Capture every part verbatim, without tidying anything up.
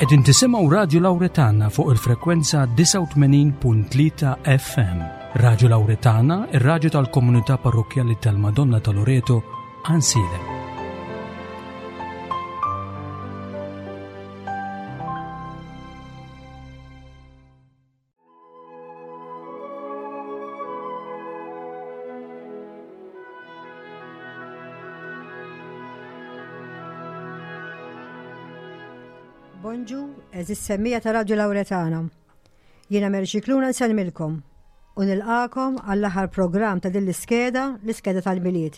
Qegħdin tisimgħu Radio Lauretana fuq il-frekwenza disgħa u tmenin punt tlieta F M. Radio Lauretana, ir-radju tal-komunità parrokkjali tal-Madonna ta' Loreto, Għajnsielem. Bonġu, eżis semmija ta' Radio Lauretana. Jiena Mary Scicluna nsellmilkom u nilqakom għall-aħħar programm ta' din l-iskeda, l-iskeda tal-Milied.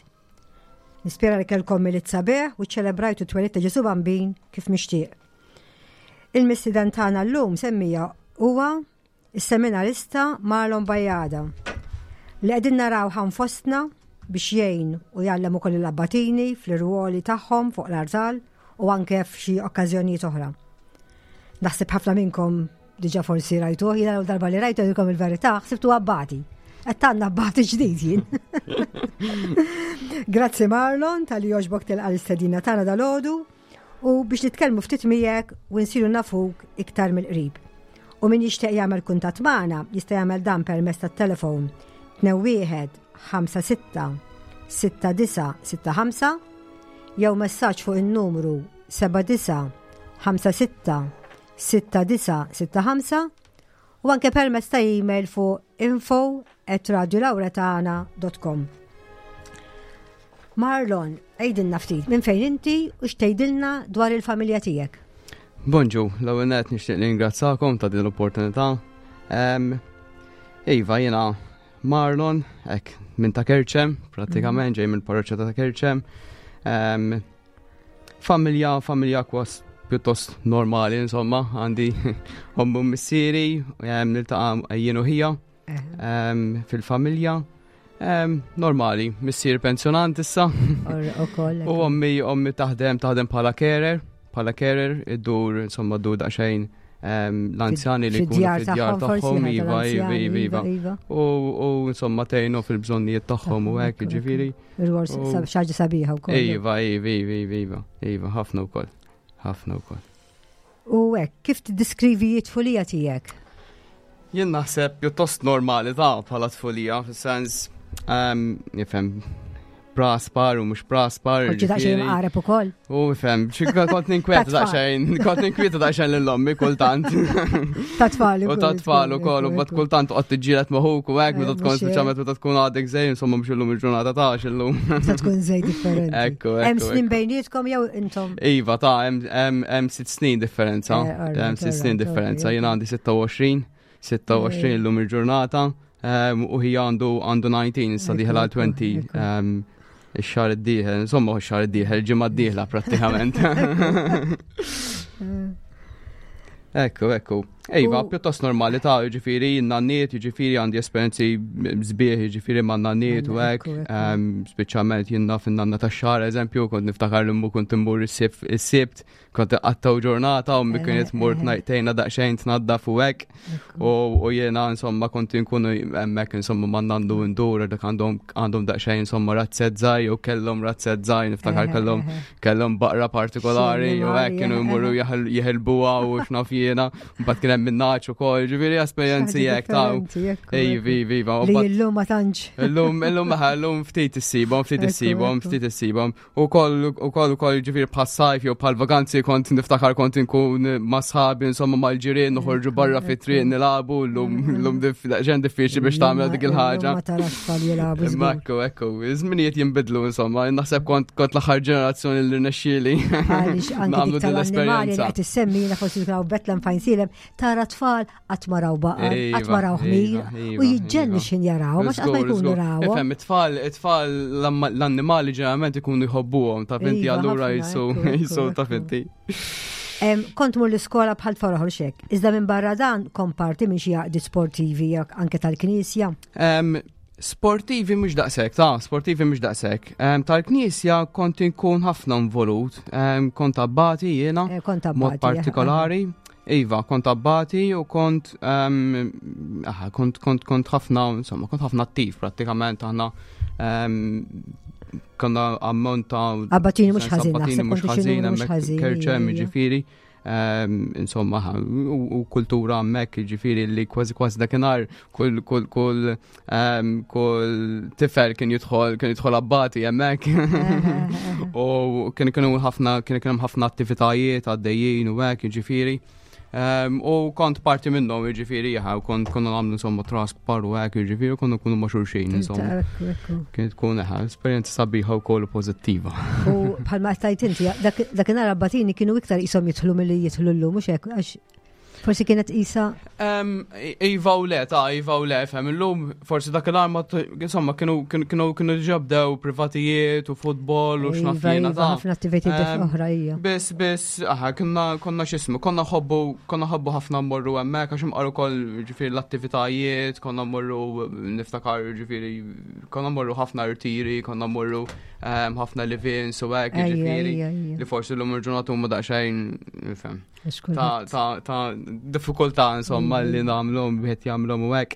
Nispera li kellkom Milied sabiħ u ċċelebrajtu t-twelid ta' Ġesu Bambin kif mixtieq. Il-mistieden tagħna llum semmija huwa is-seminarista Marlon Bajada li qegħdin naraw ħan fostna biex jgħin u jgħallem ukoll l-abbatini fl-irwoli tagħhom fuq l-artal u anke f'xi okkażjonijiet oħra. Naħseb ħafna minnkom diġà forsi rajtuh, jiena l-ewwel darba li rajtu ngħidilkom il-verità, ħsibtu abbati. Qed tgħandna abbati ġdid jien. Grazzi Marlon tal-li jogħġbok tilqa' l-istedina tagħna dalgħodu u biex nitkellmu ftit miegħek u nsiru nafuk iktar mill-qrib. U min jixtieq jagħmel kuntatt magħna jista' jagħmel dan permezz tat-telefon tnejn wieħed ħamsa sitta sitta disa' sitta ħamsa jew messaġġ fuq in-numru seba' disa' ħamsa sitta sitta disa' sitta ħamsa u anke permezz ta' email fuq info at radiolauretana dot com. Marlon, għidilna ftit minn fejn inti u x'tgħidilna dwar il-familja tiegħek. Bonġu, l-ewwel nett nixtieq ningrazzakom ta' din l-opportunità. Em, Iva, jiena Marlon, hekk minn ta' Kerċem, prattikament ġej mill-parroċċa ta' Kerċem. Em, familja, familja kwas pjuttost normali, insomma, għandi ommu missieri, em, niltaqa' jien u ħija, em, fil-familja. Em, normali, missier pensjonant issa. Or, ukoll, U ommi, ommi taħdem, taħdem bħala carer, bħala carer, iddur, insomma, ddur daqsxejn, em, l-anzjani li jkunu Fid-djar fid-djar tagħhom, forsi, tagħhom, ħa iva, tal-anzjani, iva, iva, iva. iva. U, u, insomma, tgħinu fil-bżonnijiet tagħhom u hekk, Ekku, ekku. jiġifieri. Ir-rwol U sab-, xi ħaġa sabiħa wkoll. Iva, iva, iva, iva, iva, iva, ħafna wkoll. Ħafna wkoll. U hekk, kif tiddiskrivi t-tfulija tiegħek? Jien naħseb pjuttost normali ta' bħala tfulija, fis-sens, ehm, nifhem, praspar u mhux praspar, Kont xi daqsxejn jiġifieri. mqareb ukoll. U nifhem, xi kont ninkweta Ta' tfal. daqsxejn, kont ninkweta daqsxejn lil ommi kultant. Ta' tfal U ukoll, ta' tfal ukoll, ukoll, u ukoll, mbagħad kultant toqgħod tiġġieled ma' ħuk u hekk, meta Eh, tkun mhux hekk. speċjalment meta tkun għadek żejn, insomma mhux illum il-ġurnata ta' illum. Ta' tkun żejn differenti. Ekku, Hemm ekku, snin ekku. bejnietkom jew intom? Iva, ta' hemm, hemm, hemm sitt snin differenza. Eh, all right, Hemm sitt all snin right, differenza. okay, Jien għandi sitta u għoxrin, sitta u għoxrin Eh. illum il-ġurnata, ehm, u hija għandu, għandu nineteen, issa Ekku, dieħel għal ekku, twenty, ekku. ehm, ix-xahar id-dieħel, insomma, ix-xahar id-dieħel, il-ġimgħa d-dieħla prattikament. Ekku, ekku. Iva, U pjuttost normali ta' jiġifieri, nanniet, jiġifieri għandi esperjenzi sbieħ, jiġifieri ma' nanniet u hekk. Ekku, ekku. Ehm, speċjalment jien naf in-nanna tax-xahar, eżempju, kont niftakar li mmu kont immur is-sib-, is-sibt, kont iqattaw ġurnata u mmi Eh, kienet mur eh. tnajtejna daqsxejn tnaddaf u hekk. Ekku. U, u jiena, insomma, kont inkunu hemmhekk, insomma, ma' nandu ndur, dak għandhom, għandhom daqsxejn, insomma, razzett żgħir, jew kellhom razzett żgħir, niftakar Eh, kellhom eh, eh. kellhom baqra partikolari, Xi u hekk annimali, kienu eh, jmorru eh. jeħel-, jeħelbuha u x'naf jiena, mbagħad kien hemm min-naċ ukoll, ġifieri esperjenzi Xi ħaġa hekk ta' differenti, ekku, Ej, ekku. vi, vi, va, u Li mbagħad illum ma tantx. Illum, illum, eħe, illum ftit issibhom, ftit Ekku, issibhom, ekku. ftit issibhom. U koll, u koll, u koll, ġifieri bħas-sajf jew bħal vaganzi kont niftakar kont inkun ma' sħabi, insomma, mal-ġirien, noħorġu Ekku, barra fit-triq ekku. nilagħbu, llum, llum dif-, daqsxejn diffiċli biex tagħmel dik il-ħaġa. Illum ma tarax tfal jilagħbu Imma żgur. ekku, ekku, iż-żminijiet jinbidlu, insomma, naħseb kont, kont l-aħħar ġenerazzjoni li rnexxieli. Għaliex anke Nagħmlu dik din tal-annimali li l-esperjenza. qed issemmi jiena forsi raw Bethlehem fejn silem, tara tfal qatt ma raw baqar, Iva, qatt ma raw ħmir, iva, u iva, jiġġennu iva. x'in jaraw, ma x'qatt ma Żgur, jkunu żgur. rawhom. Ifhem, it-tfal, it-tfal l-amma-, l-annimali ġeneralment ikunu jħobbuhom, ta' finti Iva, allura ħafna, jisu, ekku, ekku, jisu ta' ekku. finti. Em, kont mur l-iskola bħal tfal oħra xek. Iżda minn barra dan kont parti minn xi għaqdiet sportivi jekk anke tal-Knisja. Em, sportivi mhux daqshekk, ta' sportivi mhux daqshekk. Em, tal-Knisja kont inkun ħafna involut. Em, kont abbati jiena, Eh, kont mod abbati, eh, partikolari. Iva, kont abbati u kont, em, aha, kont, kont, kont ħafna, insomma, kont ħafna attiv prattikament aħna, em, konna ammont ta' Abbatini mhux sens ħażin, abbatini naħseb mhux kont xi ħażin, numru mhux hemmhekk ħażin, Kerċem, ija. jiġifieri. Insomma, u kultura hemmhekk, ġifieri li kważi kważi dakinhar kull kull kull kull tifel kien jidħol kien jidħol abbati hemmhekk. U kien kienu ħafna kien kien ħafna attivitajiet għaddejjin u hekk, ġifieri. U kont parti minnhom, jiġifieri, jaha, u kont konna nagħmlu insomma trask par u hekk, jiġifieri, konna nkunu ma' xulxin, insomma. Kienet tkun eħa, esperjenza sabiħa wkoll pożittiva. U bħalma tajt inti, dakinhar abbatini kienu iktar qishom jidħlu milli jidħlu llum, mhux hekk, għax forsi kienet isa. Iva u le, ta' iva u le, fem, illum forsi dakinhar ma, insomma, kienu kienu kienu ġabdew privatijiet u futbol u x'naf jiena ta' ħafna attivitajiet oħra hija. Biss, biss, aha, konna konna x'ismu, konna ħobbu konna ħobbu ħafna mmorru hemmhekk għax imqar ukoll ġifieri l-attivitajiet, konna mmorru niftakar ġifieri konna mmorru ħafna rtiri, konna mmorru ħafna live-ins u hekk, ġifieri li forsi llum il-ġurnata huma daqsxejn, fem. Ta' ta' ta' diffikultà insomma li nagħmluhom wieħed jagħmluhom u hekk.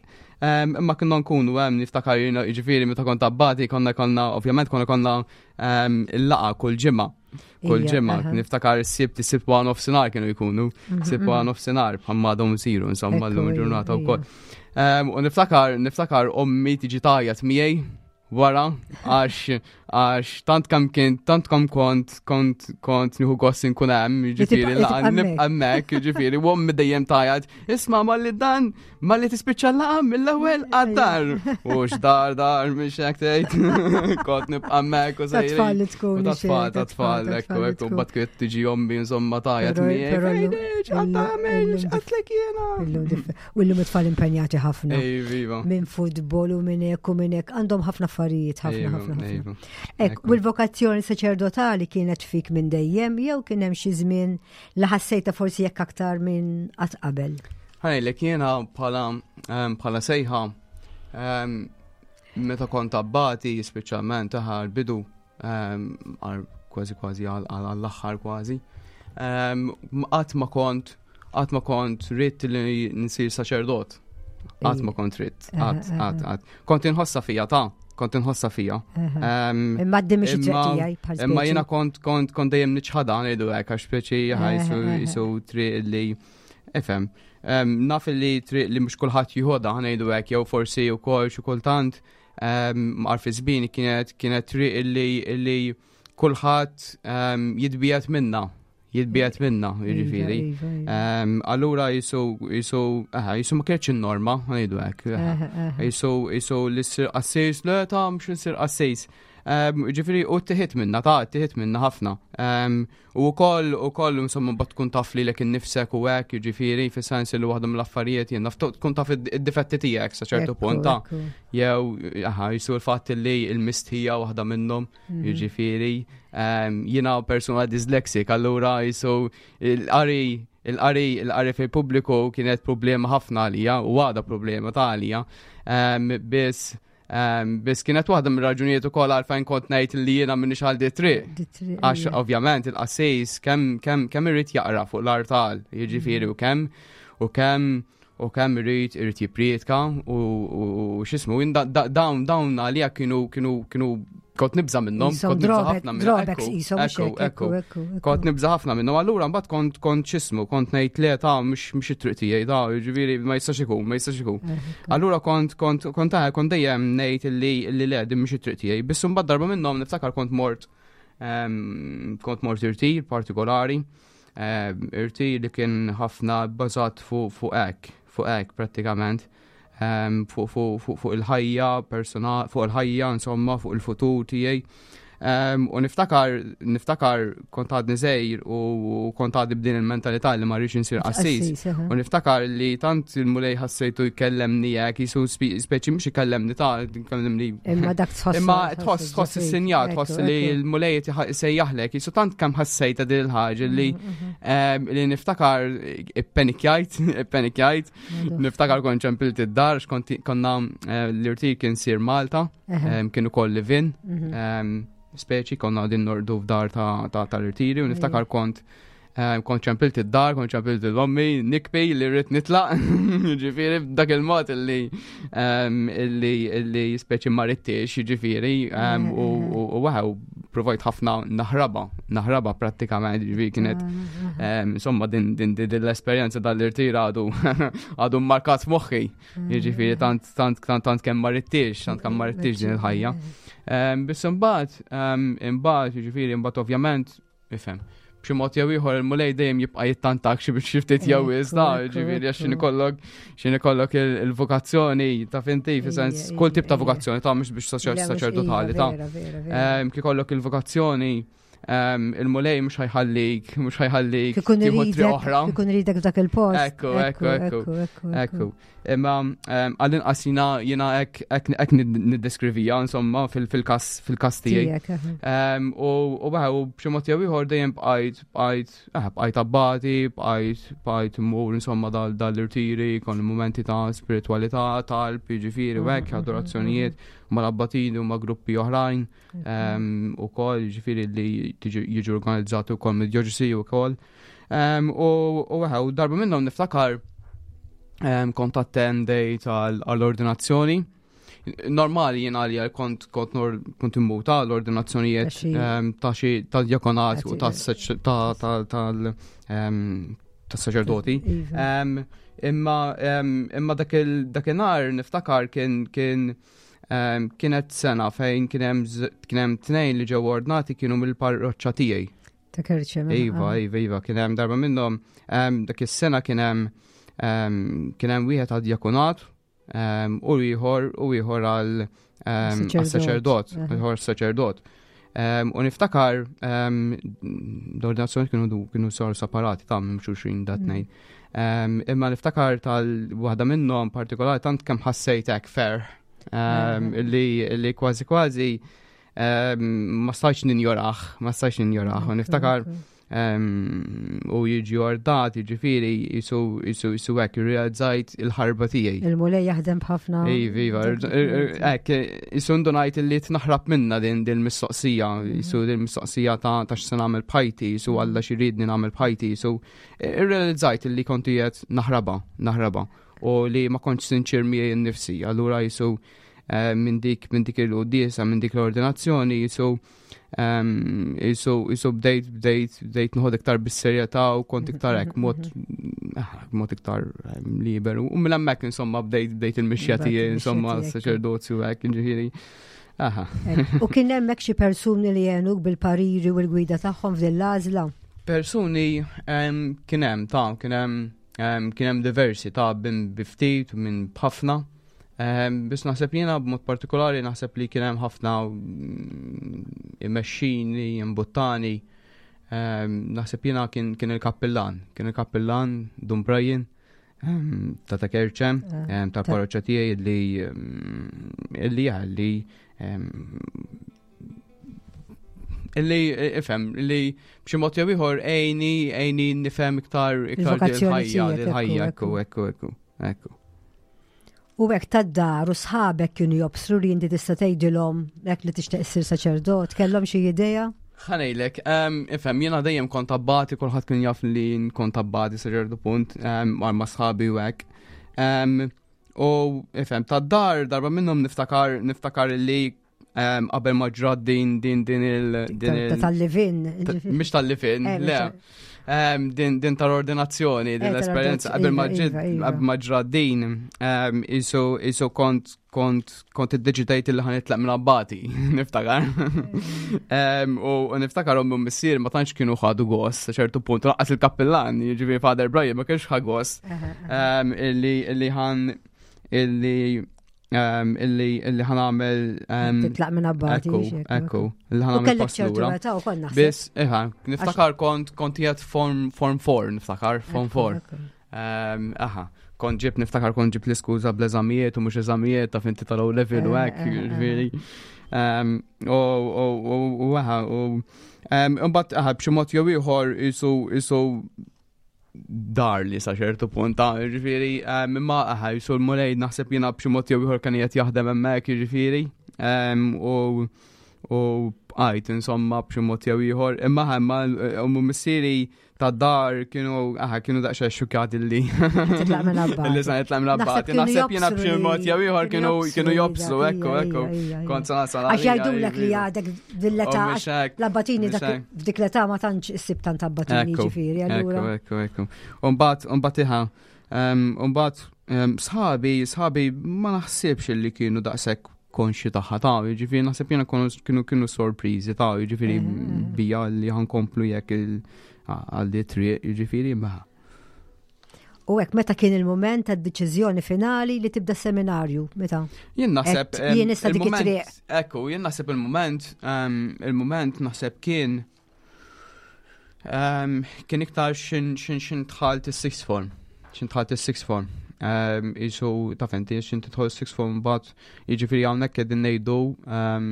Imma konna nkunu hemm niftakar jiena jiġifieri meta kont abbati konna konna ovvjament konna konna il-laqgħa kull ġimgħa. Kull ġimgħa niftakar is-Sibt is-Sibt wara nofsinhar kienu jkunu, Sibt wara nofsinhar bħalma għadhom isiru insomma llum il-ġurnata wkoll. U niftakar niftakar ommi tiġi tgħajjat miegħi wara għax għax tant kam kien tant kam kont kont kont nieħu gost inkun hemm, jiġifieri laqgħa nibqa' hemmhekk, jiġifieri u ommi dejjem tgħajjat, isma' malli dan malli tispiċċa l-laqgħa mill-ewwel għad-dar. U x'dar dar mhix hekk tgħid. Kont nibqa' hemmhekk u sejrin. Ta' tfal li tkun. Ta' tfal, ta' tfal, ekku ekku mbagħad kienet tiġi ommi insomma tgħajjat miegħi. X'qed tagħmel, x'qedtlek jiena. U llum it-tfal impenjati ħafna. Iva. Minn futbol u minn hekk u minn hekk għandhom ħafna affarijiet, ħafna ħafna ħafna. Ek, u l-vokazzjoni saċerdotali kienet fik minn dejjem, jew kien hemm xi żmien li ħassejta forsi jekk aktar minn qatt qabel? Ħajlek jiena bħala bħala sejħa meta kont abbati speċjalment taħ l-bidu kważi kważi għall-aħħar kważi. Qatt ma kont qatt ma kont ridt li nsir saċerdot. Qatt ma kont ridt, qatt qatt qatt. Kont inħossha fija ta' kont inħossha fija. Imma d mhix it-triq tiegħi bħal Imma jiena kont kont kont dejjem niċħadha ngħidu hekk għax speċi jisu triq li ifhem. Naf li triq li mhux kulħadd jieħodha ngħidu hekk jew forsi wkoll xi kultant għal fi żmien kienet kienet triq li li kulħadd jitbiegħed minna. Jitbiegħed minna, jiġifieri. Allura jisu jisu aha, jisu ma kienx in-norma, ngħidu hekk. Jisu jisu li ssir qassis, le ta' mhux insir qassis. Ġifieri u tiħit minna, ta' tiħit minna ħafna. U wkoll ukoll insomma mbagħad tkun taf lilek innifsek u hekk, jiġifieri fis-sens li waħda mill-affarijiet jien naf tkun taf id-difetti tiegħek sa ċertu punt ta' jew aha, jisu l-fatt li l-mistħija waħda minnhom, jiġifieri. Jiena persuna dyslexic, allura jisu l-qari il-qari il-qari fil-pubbliku kienet problema ħafna għalija u għadha problema ta' għalija. Biss biss kienet waħda mir-raġunijiet ukoll għalfejn kont ngħid li jiena m'iniex għal di triq. Għax ovvjament il-qassis kemm kemm kemm irid jaqra fuq l-artal, jiġifieri u kemm u kemm u kemm irid irid jipprietka u x'ismu dawn dawn għalija kienu kienu kienu kont nibża' minnhom, kont nibża' ħafna minnhom. Ekku, ekku, kont nibża' ħafna minnhom. Allura mbagħad kont kont x'ismu, kont ngħid le ta' mhux mhux it-triq tiegħi ta' jiġifieri ma jistax ikun, ma jistax ikun. Allura kont kont kont kont dejjem ngħid li li le din mhux it-triq tiegħi. Biss imbagħad darba minnhom niftakar kont mort kont mort irtir partikolari, irtir li kien ħafna bbażat fuq fuq hekk, fuq hekk prattikament. Fuq fuq fuq fuq il-ħajja personali, fuq il-ħajja insomma, fuq il-futur tiegħi. U niftakar niftakar kont għadni żgħir u kont għadni b'din il-mentalità li ma rridx insir qassis. U niftakar li tant il-Mulej ħassejtu jkellemni hekk, jisu speċi mhux ikellemni ta' jkellemni. Imma dak tħoss. Imma tħoss tħoss is-sinjal, tħoss li l-Mulej isejjaħlek, jisu tant kemm ħassejta din il-ħaġa li li niftakar ippenikjajt, ippenikjajt. Niftakar kont ċempilt id-dar, x'kont konna l-irtir kien sir Malta, kien ukoll live-in. Speċi konna għadin nordu f'dar ta' tal-irtiri u niftakar kont kont ċempilt id-dar, kont ċempilt l-ommi, nikbi li rrid nitlaq, ġifieri b'dak il-mod illi illi illi speċi ma ridtix, ġifieri, u waħew provajt ħafna naħraba, naħraba prattikament, ġifieri kienet ah, insomma din din din l-esperjenza dal-irtir għadu għadu markat f'moħħi. Jiġifieri tant tant tant tant kemm ma rittix, tant kemm ma rittix din il-ħajja. Biss imbagħad, imbagħad jiġifieri imbagħad ovvjament, ifhem, b'xi mod jew ieħor il-Mulej dejjem jibqa' jittantak xi biex xi ftit jew iżda, ġifieri għax x'in ikollok x'in ikollok il-vokazzjoni ta' finti, fi sens kull tip ta' vokazzjoni ta' mhux biex saċerdotali ta' kif ikollok il-vokazzjoni il-Mulej mhux ħa jħallik, mhux ħa jħallik tieħu triq oħra. Ikun iridek f'dak il-post. Ekku, ekku, ekku, ekku. Imma għall-inqas jiena jiena hekk niddeskrivija insomma fil-każ fil-każ tiegħi. U u u b'xi mod jew ieħor dejjem bqajt bqajt eh, bqajt abbati, bqajt bqajt immur insomma dal-irtiri, kon momenti ta' spiritualità, talb, jiġifieri u hekk, adorazzjonijiet mal-abbatini u ma' gruppi oħrajn u kol, ġifieri li jiġu organizzati u kol mid-djoċesi u kol. U u darba minnhom niftakar kont attendejt għall-ordinazzjoni. Normali jien għalija kont kont kont immuta l-ordinazzjonijiet ta' xi tal-djakonat u tal-saċerdoti. Imma imma dakinhar niftakar kien kien kienet sena fejn kien hemm tnejn li ġew ordnati kienu mill-parroċċa tiegħi. Ta' Kerċem. Iva, iva, iva, kien hemm darba minnhom dak is-sena kien hemm kien hemm wieħed għad-djakonat u ieħor u ieħor għal saċerdot, ieħor saċerdot. U niftakar l-ordinazzjoni kienu kienu saru separati ta' minn xulxin dat tnejn. Imma niftakar tal-waħda minnhom partikolari tant kemm ħassejt hekk ferħ li li kważi kważi ma stajtx ninjoraħ, ma stajtx ninjoraħ. U niftakar u jiġi ordat, jiġifieri jisu jisu jisu hekk irrealizzajt il-ħarba tiegħi. Il-Mulej jaħdem b'ħafna. Iva, iva, hekk jisu ndunajt li tnaħrab minna din din mistoqsija, jisu din mistoqsija ta' ta' x'se nagħmel b'ħajti, jisu Alla x'iridni nagħmel b'ħajti, jisu irrealizzajt li kont qiegħed naħraba, naħraba u li ma kontx sinċir miegħi nnifsi. Allura jisu minn dik minn dik il-quddiesa, minn dik l-ordinazzjoni, jisu jisu jisu bdejt bdejt bdejt nħod iktar bis-serjetà u kont iktar hekk mod mod iktar liberu. U minn hemmhekk insomma bdejt bdejt il-mixja tiegħi insomma saċerdozju hekk ġifieri. Aha. U kien hemmhekk xi persuni li għenuk bil-pariri u l-gwida tagħhom f'din l-għażla? Persuni kien hemm ta' kien hemm kien hemm diversi ta' bin biftit u minn b'ħafna. Biss naħseb jiena b'mod partikolari naħseb li kien hemm ħafna imexxini, imbuttani. Naħseb jiena kien kien il-kappillan, kien il-kappillan Dun Brian ta' ta' Kerċem, ta' parroċċa tiegħi li li li illi ifhem li b'xi mod jew ieħor għejni għejni nifhem iktar iktar il-ħajja, il-ħajja, ekku, ekku, ekku, ekku. U hekk tad-dar u sħabek kienu jobsru li inti tista' tgħidilhom hekk li tixtieq issir saċerdot, kellhom xi idea? Ħa ngħidlek, ifhem, jiena dejjem kont abbati, kulħadd kien jaf li kont abbati sa ċertu punt, ma' sħabi u hekk. U ifhem, tad-dar darba minnhom niftakar niftakar li qabel ma ġrat din din din il din il tal-livin. Mhix tal-livin, le. Din din tal-ordinazzjoni, din l-esperjenza qabel ma ġiet qabel ma ġrat din, isu isu kont kont kont iddeċidejt li ħa nitlaq minn abbati, niftakar. U niftakar ommi u missier ma tantx kienu ħadu gost sa ċertu punt, lanqas il-kappillan, jiġifieri Father Brian ma kienx ħa gost illi illi ħan illi illi illi ħa nagħmel titlaq minn abbati. Ekku, ekku, illi ħa nagħmel pass lura. Biss, iħa, niftakar kont kont qiegħed form form four, niftakar form four. Aha, kont ġib niftakar kont ġib l-iskuża bl-eżamijiet u mhux eżamijiet ta' finti tal-O level u hekk, ġifieri. U u aha, u imbagħad aha b'xi mod jew ieħor isu isu dar li sa ċertu punt, ġifieri, imma aha, jisu l-Mulej naħseb jiena b'xi mod jew ieħor kien qed jaħdem hemmhekk, jiġifieri, u u bqajt insomma b'xi mod jew ieħor. Imma imma ommi u missieri ta' dar kienu aha kienu daqsxejn xukjati li Titlaq minn abbati. Li sa nitlaq minn abbati. Naħseb kienu Naħseb jiena jobsru b'xi li- mod jew ieħor kienu kienu jobsru, dak, ekku, ija, ekku. ija, ija. Kont sa nasal Għax għalija, jgħidulek li iva. għadek dil-età, Oh, mhux hekk, l-abbatini mhux dak hekk. f'dik l-età ma tantx issib tant abbatini Ekku, ġifieri, allura. Ekku, ekku, ekku. Umbagħad, umbagħad iħa, um, umbagħad um, sħabi, sħabi ma naħsibx li kienu daqshekk konxi tagħha ta' jiġifieri naħseb jiena kienu kienu kienu sorpriżi ta' jiġifieri Eh, eh. bija li ħa nkomplu jekk il- għal di triq, jiġifieri ma. U hekk meta kien il-moment tad-deċiżjoni finali li tibda seminarju, meta? Jien naħseb. Et em, jien issa dik il-moment- it-triq. Ekku, jien naħseb il-moment, em, il-moment naħseb kien em, kien iktar xin xin xin dħalt is-sixth form. Xin dħalt is-sixth form. Um, Isu, taf inti, xin tidħol is-sixth form but jiġifieri hawnhekk qegħdin ngħidu em,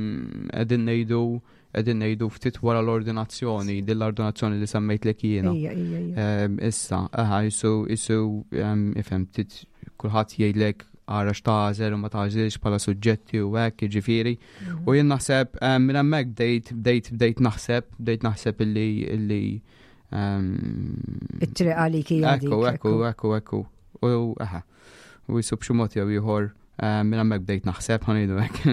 qegħdin ngħidu qegħdin ngħidu ftit wara l-ordinazzjoni, din l-ordinazzjoni li semmejtlek jiena. Ija, ija, ija. Um, issa, aha, jisu, jisu, um, ifhem, tit, kulħadd jgħidlek ara x'tagħżel u ma tagħżilx bħala suġġetti u hekk, jiġifieri. U jien naħseb um, minn hemmhekk bdejt bdejt bdejt naħseb, bdejt naħseb illi illi um, It-triq għalik hija dik. Ekku, ekku, ekku, ekku. U aha. U jisu b'xi mod jew ieħor um, minn hemmhekk bdejt naħseb ħa ngħidu hekk.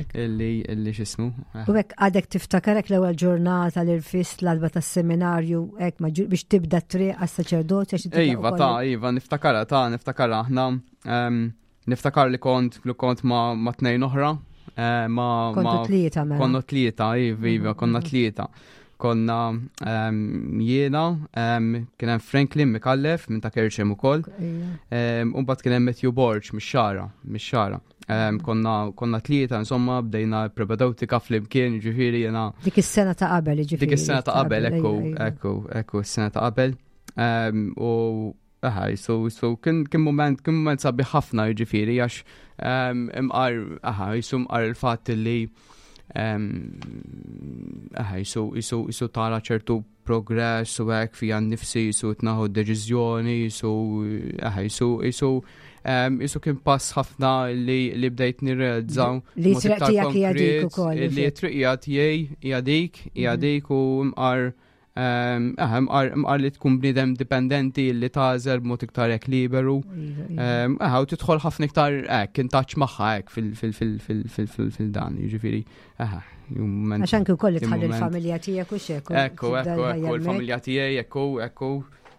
Ekku. Illi illi x'ismu. aha. U hekk għadek tiftakarek l-ewwel ġurnata li rfist l-għatba tas-seminarju hekk ma ġu- biex tibda t-triq għas-saċerdoti għax tibda Iva, ukoll- ta' iva, niftakara, ta' niftakara, aħna, em, niftakar li kont, li kont ma, ma tnejn oħra, eh, ma, Kontu ma, tlieta mela. konna tlieta, iva, iva, konna tlieta. Konna em, jiena, em, kien hemm Franklin Mikallef minn ta' Kerċem ukoll, Ija. em, u mbagħad kien hemm Matthew Borg mix-Xagħra, mix-Xagħra. Em, Konna, konna tlieta, insomma, bdejna propedewtika flimkien, ġifieri jiena Dik is-sena ta' qabel, ġifieri. Dik is-sena ta' qabel, ekku, ija, ija. ekku, ekku, is-sena ta' qabel. Em, U aha, so, so kien kien moment, kien moment sabiħ ħafna jiġifieri għax em, imqar, aha, jisu mqar il-fatt li em, aha, jisu, jisu, jisu tara ċertu progress u hekk fija nnifsi, jisu tieħu deċiżjoni, jisu, aha, jisu, jisu, em, jisu kien pass ħafna li, li bdejt nirrealizza Li mod triq iktar tiegħek hija dik konkret, ukoll. Li triq hija tiegħi hija dik, hija Mhm. dik u mqar em, aha, mqar mqar li tkun bniedem dipendenti li tagħżel b'mod iktar hekk liberu. Iva, iva. Em, Aha, u tidħol ħafna iktar hekk in touch magħha hekk fil fil fil fil fil fil fil dan, jiġifieri, aha, moment. Għax anki wkoll li kien tħalli moment. l-familja tiegħek u xek. u Ekku, tibda ekku, l-ħajja ekku, hemmhekk. il-familja tiegħi, ekku, ekku,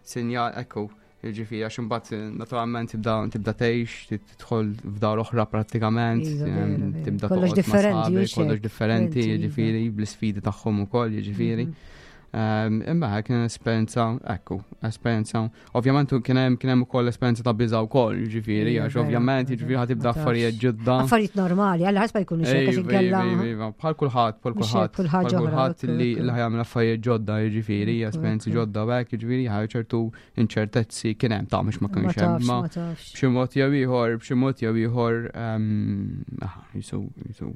sinja, ekku. Jiġifieri, għax imbagħad naturalment tibda tibda tgħix, tidħol f'dar oħra prattikament, Iva, em, vera, vera. tibda Kollox toqgħod ma' differenti, sħabek, u xek. kollox differenti, Differenti, iva. jiġifieri, bl-isfidi tagħhom ukoll, jiġifieri. Mhm. Um, Imma kien esperjenza, ekku, esperjenza. Ovvjament kien hemm kien hemm ukoll esperjenza ta' biża' wkoll, jiġifieri, Iva, għax vera, ovvjament vera, jiġifieri ħa tibda ma tafx. affarijiet ġodda. Affarijiet normali, għalla ħasba jkunu xek, għax Iva, inkella. iva, iva, bħal kulħadd, bħal Mhux hekk, kulħadd, kull ħaġa bħal oħra, kulħadd ekku, li ekku. li ħa jagħmel affarijiet ġodda, jiġifieri, Ekku, esperjenzi ekku. ġodda u hekk, jiġifieri, ħaj ċertu inċertezzi kien hemm ta' mhux ma Ma kienx hemm, tafx, ma ma tafx. b'xi mod jew ieħor, b'xi mod jew ieħor, ehm, aha, jisu, jisu,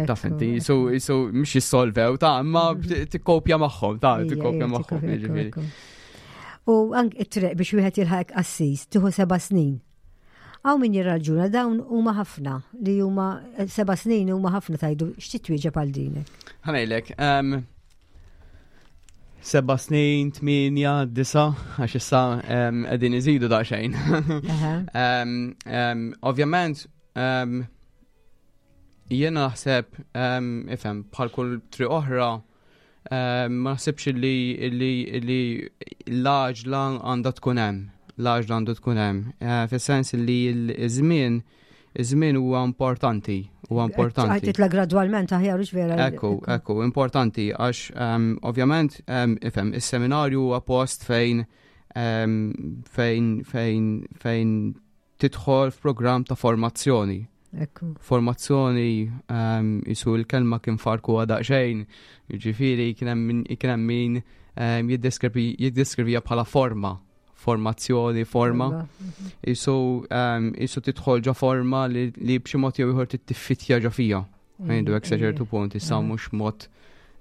taf Ekku, inti, ekku. jisu, jisu, mhux jissolvew, ta' imma tikkopja magħhom, ta' Ija, tikkopja ija, magħhom, tikkopi, ekku, jiġifieri. ekku. U anke it-triq biex wieħed jilħaq qassis tieħu seba' snin. Hawn min jirraġuna dawn huma ħafna li huma eh, seba' snin huma ħafna tajdu x'titwieġeb għal dinek. Ħa ngħidlek, ehm, seba' snin, tminja, disa, għax issa ehm, qegħdin iżidu daqsxejn. Aha. Um, um, ovvjament, um, jiena naħseb, um, ifhem, bħal kull triq oħra, um, ma naħsibx li, li, li l-għaġla għandha tkun hemm. L-għaġla għandu tkun hemm. Uh, Fis-sens li l-żmien, iż-żmien huwa importanti, huwa importanti. Titla gradwalment aħjar hux vera. Ekku, ekku, importanti, għax um, ovvjament, um, ifhem, is-seminarju huwa post fejn um, fejn fejn fejn tidħol f'programm ta' formazzjoni. Ekku. Formazzjoni um, jisu l-kelma kien farku daqsxejn, jiġifieri kien hemm min- kien hemm min um, jiddeskrivi jiddeskrivija bħala forma, formazzjoni, forma. Iva. Jisu um, jisu tidħol ġo forma li, li b'xi mod jew ieħor tittiffitja ġo fija. Għandu hekk sa ċertu punt, issa Mm. mhux mod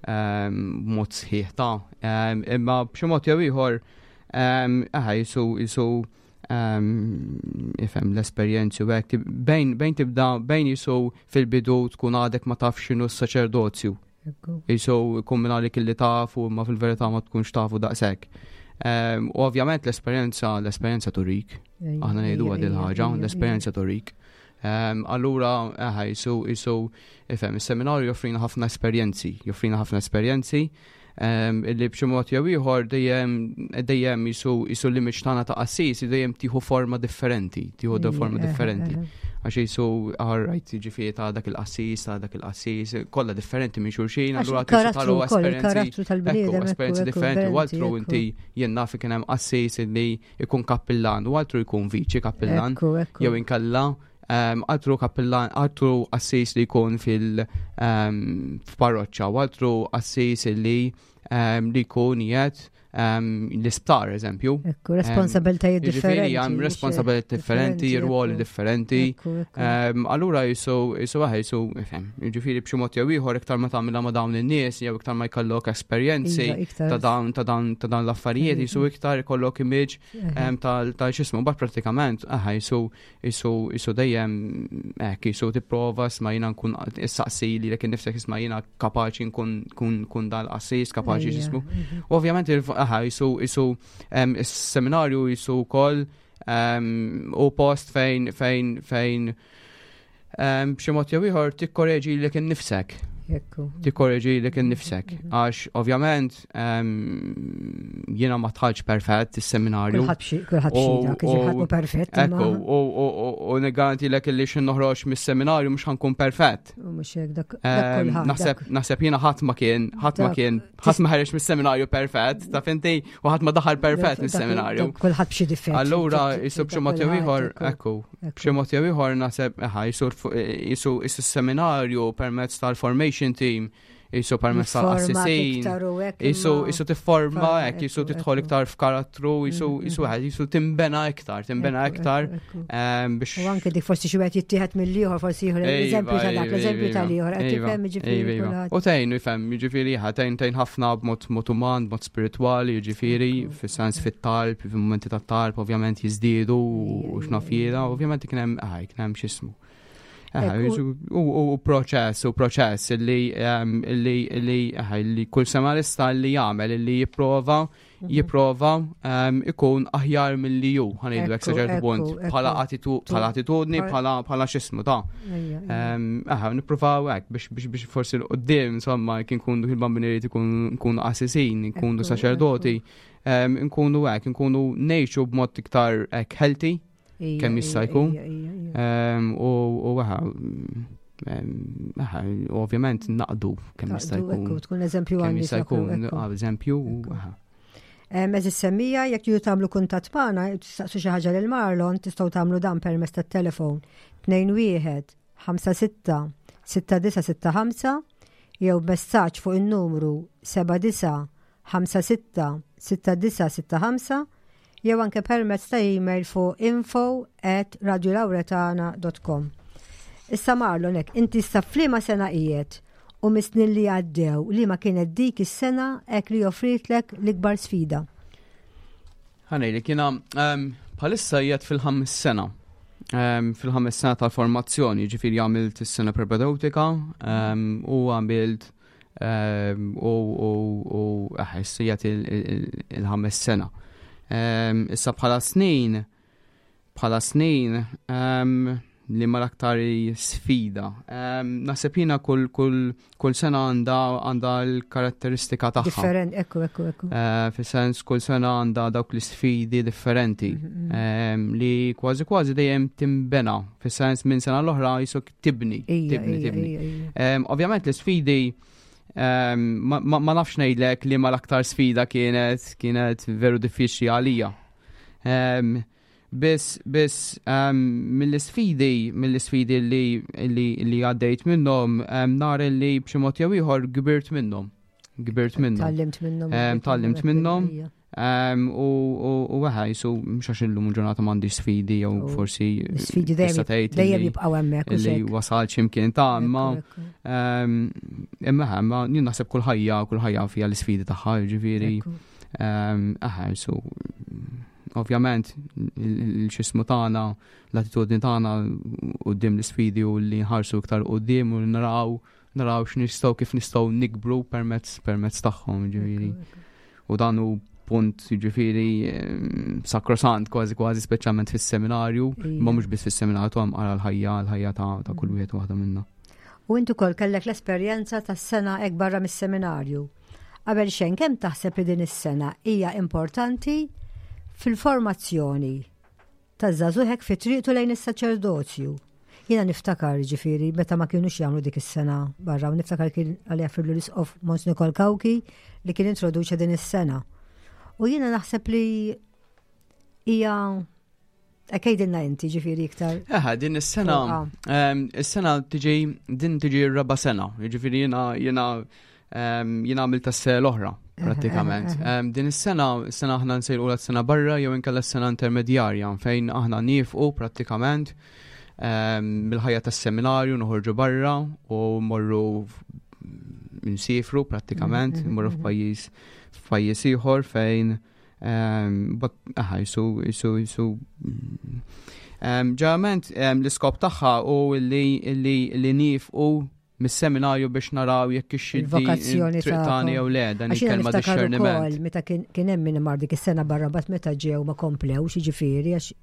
um, mod sħiħ ta' um, imma b'xi mod jew ieħor um, aha jisu jisu Ifhem l-esperjenzi u hekk bejn bejn tibda bejn jisu fil-bidu tkun għadek ma tafx x'inhu s-saċerdozju. Jisu jkun minn għalik illi tafu imma fil-verità ma tkunx tafu daqshekk. U ovvjament l-esperjenza l-esperjenza turik. Aħna ngħidu għad il-ħaġa, l-esperjenza turik. Allura, eħe, jisu, jisu, ifhem, is-seminarju joffrina ħafna esperjenzi, joffrina ħafna esperjenzi illi b'xi mod jew ieħor dejjem dejjem jisu jisu l-image tagħna ta' qassis dejjem tieħu forma differenti, tieħu forma differenti. Għax jisu alright, jiġifieri ta' dak il-qassis, ta' dak il-qassis, kollha differenti minn xulxin, allura talu esperjenzi esperjenzi differenti. U altru inti jien naf kien hemm qassis illi jkun kappillan, u altru jkun viċi kappillan, jew inkella altru kappillan, altru qassis li jkun fil-parroċċa, u altru qassis li li jkun jgħid l-isptar, eżempju. Ekku, responsabiltajiet differenti. Hemm responsabilitajiet differenti, ruoli differenti. Allura jisu, jisu għahe, jisu, ifhem, jiġifieri b'xi mod jew ieħor iktar ma tagħmilha ma' dawn in-nies jew iktar ma jkollok esperjenzi ta' dawn ta' dawn ta' dawn l-affarijiet, jisu iktar ikollok image ta' x'ismu, bat pratikament, aħa, jisu jisu jisu dejjem hekk jisu tipprova isma' jiena nkun issaqsi lilek innifsek isma' jiena kapaċi nkun kun dal-qassis, kapaċi x'ismu. Ovvjament aha, jisu jisu is-seminarju jisu wkoll u post fejn fejn fejn b'xi mod jew ieħor tikkoreġi lilek innifsek. Tikkoreġi lilek innifsek. Għax ovvjament jiena ma dħaltx perfett is-seminarju. Kulħadd xi perfett. Ekku, u niggarantilek li x'ħin noħroġ mis-seminarju mhux ħa nkun perfett. Naħseb naħseb jiena ħadd ma kien, ħadd ma kien, ħadd ma ħareġ mis-seminarju perfett, taf inti, u ħadd ma daħal perfett mis-seminarju. Kulħadd b'xi difett. Allura jisu b'xi mod jew ieħor, ekku, b'xi mod jew ieħor naħseb eħa jisu jisu is-seminarju permezz tal-formation team, jisu permezz tal-qassisin, jisu jisu tifforma hekk, jisu tidħol iktar f'karattru, jisu jisu wieħed jisu timbena iktar, timbena iktar biex. U anke dik forsi xi wieħed jittieħed mill-ieħor, forsi ieħor l-eżempju ta' dak, l-eżempju tal-ieħor, qed tifhem jiġifieri. U tgħin ifhem, jiġifieri tgħin tgħin ħafna b'mod mod uman, b'mod spiritwali, jiġifieri, fis-sens fit-talb, fil-momenti tat-talb ovvjament jiżdiedu u x'naf jiena, ovvjament kien hemm kien hemm x'ismu. U proċess, u proċess li li li li kull seminarista li jagħmel li jipprova jipprova ikun aħjar milli ju, ħa ngħidu hekk sa ċertu punt, bħala attitudni, bħala bħala x'ismu ta' Aha, nippruvaw hekk biex biex biex forsi 'l quddiem insomma kien nkunu il-bambinieri ikunu qassisin, nkunu saċerdoti, nkunu hekk, nkunu ngħixu b'mod iktar hekk healthy, kemm jista' jkun. U għaha, ovvjament naqdu kemm jista' jkun. Tkun eżempju Kemm jista' jkun eżempju. Għeżież semmiegħa, jekk tridu tagħmlu kuntatt magħna, tistaqsu xi ħaġa lil Marlon, tistgħu tagħmlu dan permezz tat-telefon tnejn wieħed ħamsa sitta sitta disa' sitta ħamsa jew messaġġ fuq in-numru seba' disa' ħamsa sitta sitta disa' sitta ħamsa jew anke permezz ta' email fuq info at radiolauretana dot com. Issa Marlon, hekk, inti issa f'liema sena qiegħed u mis-snin li għaddew li ma kienet dik is-sena hekk li offritlek l-ikbar sfida? Ħa ngħidlek, jiena bħalissa qiegħed fil-ħames sena. Fil-ħames sena tal-formazzjoni, ġifieri għamilt is-sena propedeutika u għamilt u u qiegħed il-ħames sena. Issa bħala snin, bħala snin, li ma l-aktar sfida. Naħseb jiena kull, kull, kull sena għandha għandha l-karatteristika tagħha. Different, ekku, ekku, ekku. Uh, Fis-sens kull sena għandha dawk l-sfidi differenti mm -hmm. li kważi kważi dejjem timbena. Fis-sens minn sena l-oħra jisuk tibni, tibni, tibni. Ovvjament l-sfidi ma, ma, ma nafx ngħidlek li ma l-aktar sfida kienet kienet veru diffiċli għalija. Um, Biss, biss, um, mill-sfidi, mill-sfidi li, li, li għaddejt minnhom, um, nar li b'xi mod jew ieħor kbirt minnhom. Kbirt minnhom. Tgħallimt minnhom. Um, tgħallimt minnhom. Um, u u għaha, jisu, mhux għax illum ġurnata m'għandi sfidi jew forsi. Sfidi dejjem jibqgħu hemmhekk. Li wasal x'imkien ta' imma imma imma jien naħseb kull ħajja, kull ħajja fiha l-sfidi tagħha, ġifieri. Aha, jisu Ovvjament il-xismu tagħna, l-attitudni tagħna quddiem l-isfidi u li nħarsu iktar quddiem u naraw naraw x'nistgħu, kif nistgħu nikbru permezz permezz tagħhom, ġifieri. U dan hu punt, ġifieri, sakrosant kważi kważi, speċjalment fis-seminarju, ma mhux biss fis-seminarju, għam għara l-ħajja l-ħajja ta' kull wieħed waħda minna. U intu kol kellek l-esperjenza tas-sena hekk barra mis-seminarju. Qabel xejn, kemm taħseb li din is-sena hija importanti fil-formazzjoni taż-żagħżugħ fi triqtu lejn is-saċerdozju? Jiena niftakar, ġifieri, meta ma kienux jagħmlu dik is-sena barra, u niftakar kien għalija fil l-isqof Mons Nikol Cauchi li kien introduċa din is-sena. U jiena naħseb li hija. Għidilna inti, ġifieri, iktar. Eħe, din is-sena, is-sena tiġi, din tiġi r-raba' sena, ġifieri jiena jiena jiena għamilt s l-oħra, prattikament. Din is-sena, is-sena aħna nsejħu s-sena barra jew inkella s-sena intermedjarja, fejn aħna nifqu prattikament mill-ħajja tas-seminarju, noħorġu barra u morru nsifru prattikament, mhm, morru mhm. f'pajjiż f'pajjiż ieħor fejn aha, jisu, jisu, jisu. Ġeneralment l-iskop tagħha u li li li nifqu mis-seminarju biex naraw jekk il-vokazzjoni tagħna jew le, dan il-kelma discerniment. Meta kien hemm min mar dik is-sena barra, bat meta ġew ma komplewx, jiġifieri, għax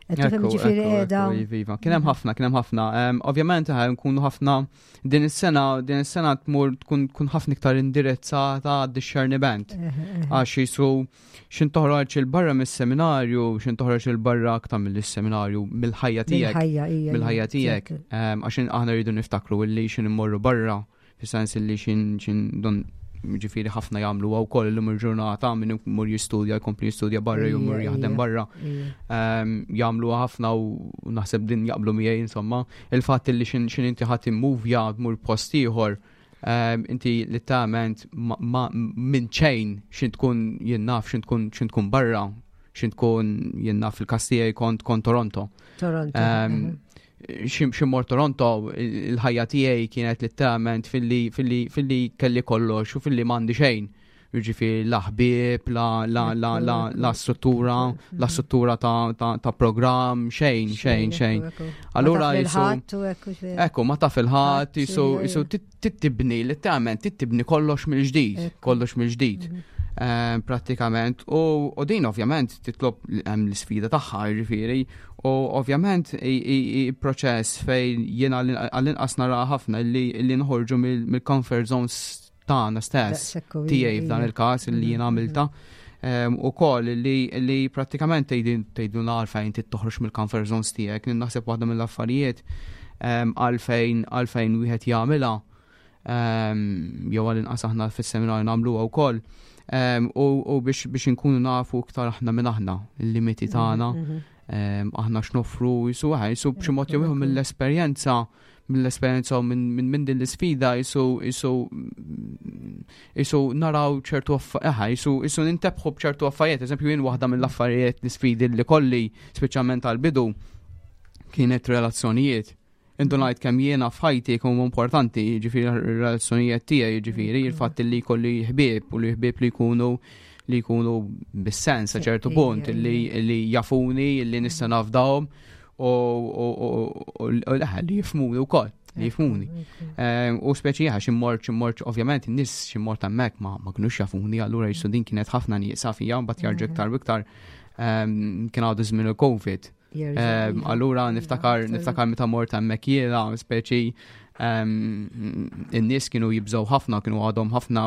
ġifieri qiegħda. Iva, kien hemm ħafna, kien hemm ħafna. Ovvjament nkunu ħafna din is-sena, din is-sena tmur tkun tkun ħafna iktar indirizzata għad-discerniment. Għax jisu xin toħroġ il-barra mis-seminarju, xin toħroġ il-barra aktar mill-seminarju, mill-ħajja tiegħek. Mill-ħajja tiegħek. Għax aħna rridu niftakru illi xin immorru barra, fis-sens illi xin xin don, ġifieri, ħafna jagħmlu għaw koll illum il-ġurnata, min mur jistudja, jkompli jistudja barra, jew mur jaħdem barra. Jagħmlu ħafna u naħseb din jaqblu miegħi, insomma, il-fatt li xin inti ħadd immuvja, tmur post ieħor, inti literalment minn ċejn xin tkun, jien naf, xin tkun xin tkun barra, xin tkun, jien naf, fil-Kastija kont kont Toronto. Toronto. Xi mort Toronto, il-ħajja tiegħi kienet literalment filli filli filli kelli kollox u filli m'għandi xejn. Jiġifieri la ħbieb, la la la la la struttura, la struttura ta' ta' programm, xejn, xejn, xejn. Allura jisu. Ekku, ma taf il-ħadd, jisu jisu tibni, literalment tibni kollox mill-ġdid, kollox mill-ġdid. Mhm. Eh, prattikament u din ovvjament titlob l-sfida tagħha, jiġifieri, u ovvjament proċess fejn jiena għall-inqas nara ħafna li nħorġu mill-comfort zones tagħna stess, tiegħi f'dan il-każ li jiena għamilta. U koll li, li prattikament tgħidu għalfejn toħroġ mill-comfort zones tiegħek, naħseb waħda mill-affarijiet għalfejn għalfejn wieħed jagħmilha, jew għall-inqas aħna fis-seminarju nagħmluha wkoll, u biex biex inkunu nafu iktar aħna minn aħna, il-limiti tagħna, mhm, mhm. aħna x'nofru, jisu jisu b'xi mod jew mill-esperjenza mill-esperjenza u minn min din l-isfida jisu jisu jisu naraw ċertu, eħa, jisu jisu nintebħu b'ċertu affarijiet. Eżempju, jien waħda mill-affarijiet, l-isfidi li kolli, speċjalment għal-bidu, kienet relazzjonijiet. Indunajt kemm jiena f'ħajti kemm importanti, ġifieri, relazzjonijiet tiegħi, ġifieri il-fatt li jkolli ħbieb u li ħbieb li jkunu li jkunu bis-sens sa ċertu punt, li li jafuni, li nista' nafdahom u li jifhmuni wkoll, li jifhmuni. U speċi għax immort immort ovvjament in-nies xi mort hemmhekk ma ma kinux jafuni, allura jisu din kienet ħafna nieqsa fija, mbagħad jarġa' iktar u iktar kien għadu żmien il-Covid. Allura niftakar niftakar meta mort hemmhekk jiena, speċi in-nies kienu jibżgħu ħafna, kienu għadhom ħafna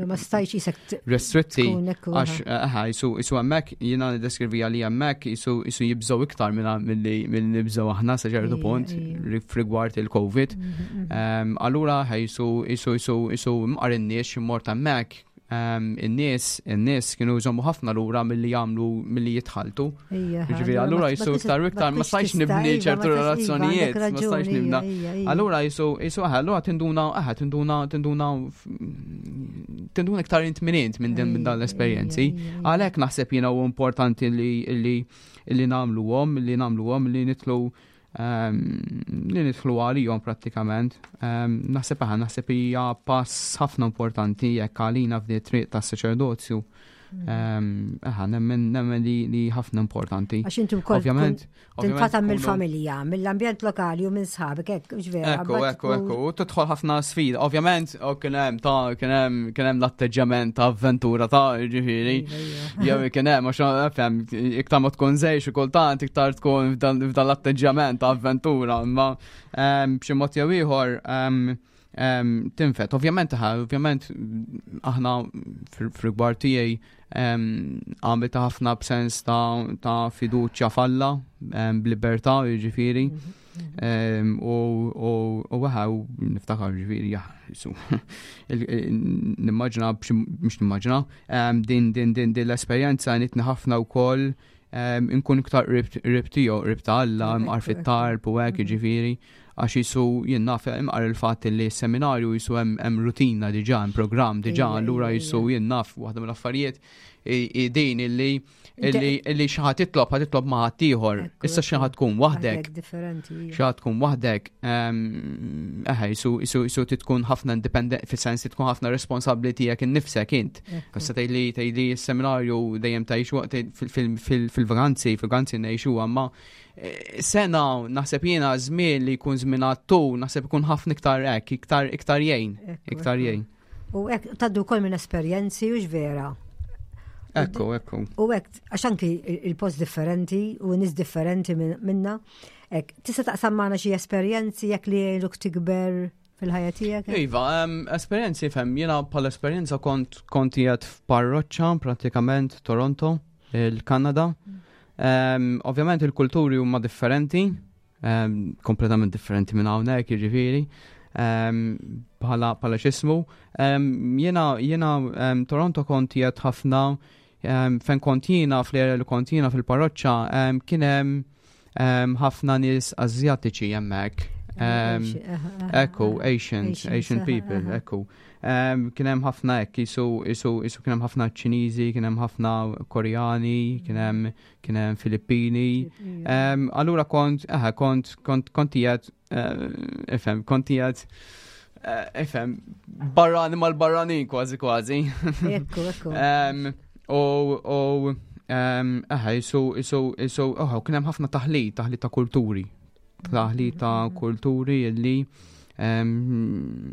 Ma stajx jisek restritti, għax eħa, jisu jisu hemmhekk jiena niddeskrivi li hemmhekk jisu jisu jibżgħu iktar milli nibżgħu aħna sa ċertu punt rigward il-Covid. Mhm, mhm. Allura jisu jisu jisu jisu mqar in-nies mort hemmhekk, in-nies in-nies kienu jżommu ħafna lura milli jagħmlu, milli jitħaltu. Ġifieri allura jisu iktar u iktar ma stajx nibni ċertu relazzjonijiet, ma stajx nibna. Allura jisu jisu allura tinduna, eħe, tinduna tinduna tinduna iktar int minn int minn din minn dan l-esperjenzi. Għalhekk naħseb jiena hu importanti li li li nagħmluhom, li nagħmluhom, li nitlu li nidħlu għalihom prattikament. Naħseb aħna naħseb hija pass ħafna importanti jekk għalina f'di triq tas-saċerdozju. Eħa, nemmen nemmen li, li ħafna importanti. Għax inti wkoll Ovvjament, tinqata' mill-familja, mill-ambjent lokali u minn sħabek, hekk, mhux vera. Ekku, ekku, ekku, u tidħol ħafna sfida. Ovvjament, u kien hemm ta' kien hemm kien hemm l-atteġġjament ta' avventura ta' ġifieri. Iva, iva. Jew kien hemm għax fhem, iktar ma tkun żgħir xi kultant iktar tkun f'dan f'dan l-atteġġjament ta' avventura, imma ehm, b'xi mod jew ieħor ehm, ehm, tinfet. Ovvjament, ħa, ovvjament aħna fil-rigward tiegħi ehm, għamilta ħafna b'sens ta' ta' fiduċja f'Alla, ehm, b'libertà, jiġifieri. Ehm, U u u waħa u niftakar ġifieri, ja, jisu. il- il- Nimmaġina, b'xi- mhux nimmaġina, ehm, din din din din l-esperjenza għenitni ħafna wkoll ehm, inkun iktar qrib qrib tiegħu, qrib ta' Alla, Ekku, imqar ekku. fit-talb u hekk jiġifieri għax jisu jien naf imqar il-fatt li s-seminarju jisu hemm hemm rutina diġà, hemm programm diġà, Ija, allura ija, jisu ija. jien naf waħda mill-affarijiet i- i din illi illi illi xi ħadd titlob ħadd titlob ma' ħadd ieħor. Ekku, Issa xi ekku. ħadd tkun waħdek Differenti. ija. xi ħadd tkun waħdek, ehm, eħe, jisu jisu jisu tkun ħafna independent, fis-sens tkun ħafna responsabbli tiegħek innifsek int. Ekku. Issa tgħidli tgħidli s-seminarju dejjem tgħixu fil-vaganzi, fil-vaganzi ngħixu imma eh, sena naħseb jiena żmien li jkun żmien għattu, naħseb ikun ħafna iktar hekk, iktar iktar jgħin, Ekku, iktar ekku. jgħin. U hekk tgħaddu wkoll minn esperjenzi u vera. Ekku, ekku. U hekk għax anki il- il-post differenti u nies differenti min- minna. Hekk, tista' taqsam magħna xi esperjenzi jekk li jgħinuk tikber fil-ħajja tiegħek? Iva, um, esperjenzi fem, jiena bħal esperjenza kont kont qiegħed f'parroċċa pratikament Toronto, il-Kanada. Um, ovvjament il-kulturi huma differenti, um, kompletament differenti minn hawnhekk, jiġifieri. Um, bħala bħala x'ismu. Um, jiena jiena um, Toronto kont qiegħed ħafna um, fejn kont jiena fl-area li kont jiena fil-parroċċa um, kien hemm um, ħafna nies Azjatiċi hemmhekk. Um, Ekku, Asians, Asians, Asian aha, people, aha. ekku. Um, kien hemm ħafna hekk, jisu, jisu, jisu kien hemm ħafna Ċiniżi, kien hemm ħafna Koreani, kien hemm kien hemm Filippini. Um, allura kont, eħe, kont, kont, kont qiegħed, uh, ifhem, kont qiegħed, uh, ifhem, barrani mal-barranin kważi kważi. Ekku, ekku. Um, U, u, um, eħe, jisu, jisu, jisu, oh, kien hemm ħafna taħlit, taħlit ta' kulturi. Taħlit ta' kulturi illi um,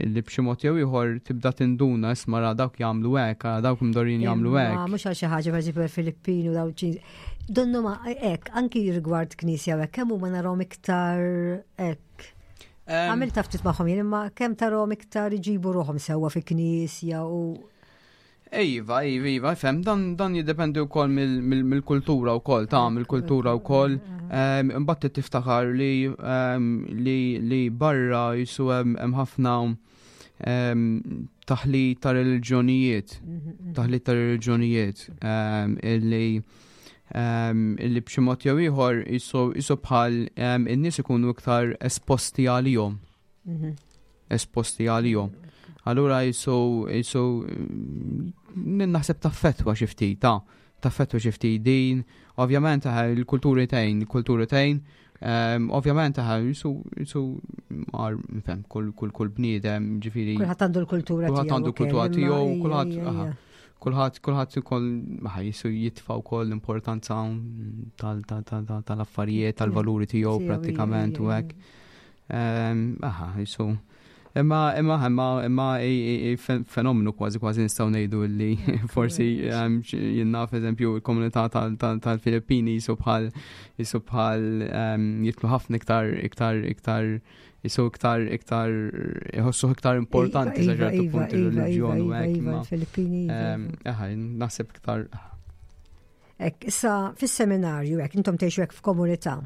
illi b'xi mod jew ieħor tibda tinduna isma' ra dawk jagħmlu hekk, ara dawk imdorrin jagħmlu Ma hekk. mhux għal xi ħaġa pereżempju il-Filippini u daw Ċiniżi. Donnu ma hekk, anki rigward knisja u hekk, kemm huma narahom iktar hekk. Um, Għamilt ftit magħhom jien imma kemm tarahom iktar iġibu ruħhom sewwa fi knisja u Iva, iva, iva, fem, dan, dan jiddependi wkoll mill-kultura wkoll, ta' mill-kultura wkoll. Um, Imbagħad tiftakar li, um, li, li barra jisu hemm hemm ħafna um, taħlit ta' reliġjonijiet, taħlit ta' reliġjonijiet um, illi um, illi b'xi mod jew ieħor jisu jisu bħal um, in-nies ikunu iktar esposti għalihom, Mhm. esposti għalihom. Allura jisu jisu mm, naħseb taffettwa xi ftit ta' taffettwa xi ftit din, ovvjament eh, il-kulturi tgħin, il-kulturi tgħin, um, ovvjament eh, jisu jisu mar nifhem kull kull kull bniedem ġifieri kulħadd għandu l-kultura tiegħu. Kulħadd għandu l-kultura ukoll, imma tiegħu, ija, kulħadd- ija, aha. ija. kulħadd kulħadd ukoll ħa jisu jitfa' wkoll l-importanza tal- tal- tal- tal- tal-affarijiet, tal-valuri tiegħu Tiegħu, prattikament ija, u ija, hekk. Ehm, Aha, jisu. Imma imma imma imma i- i- i fen- fenomenu kważi kważi nistgħu ngħidu li forsi ehm, xi- jien naf eżempju il-komunità tal- tal- tal-Filippini jisu bħal jisu bħal ehm, jitlu ħafna iktar iktar iktar jisu iktar iktar iħossu iktar importanti sa Iva, ċertu iva, punt iva, ir-reliġjon u iva, hekk. iva, imma, il-Filippini. iva, ehm, iva. Aha, naħseb iktar Ek, issa fis-seminarju hekk intom tgħixu hekk f'komunità.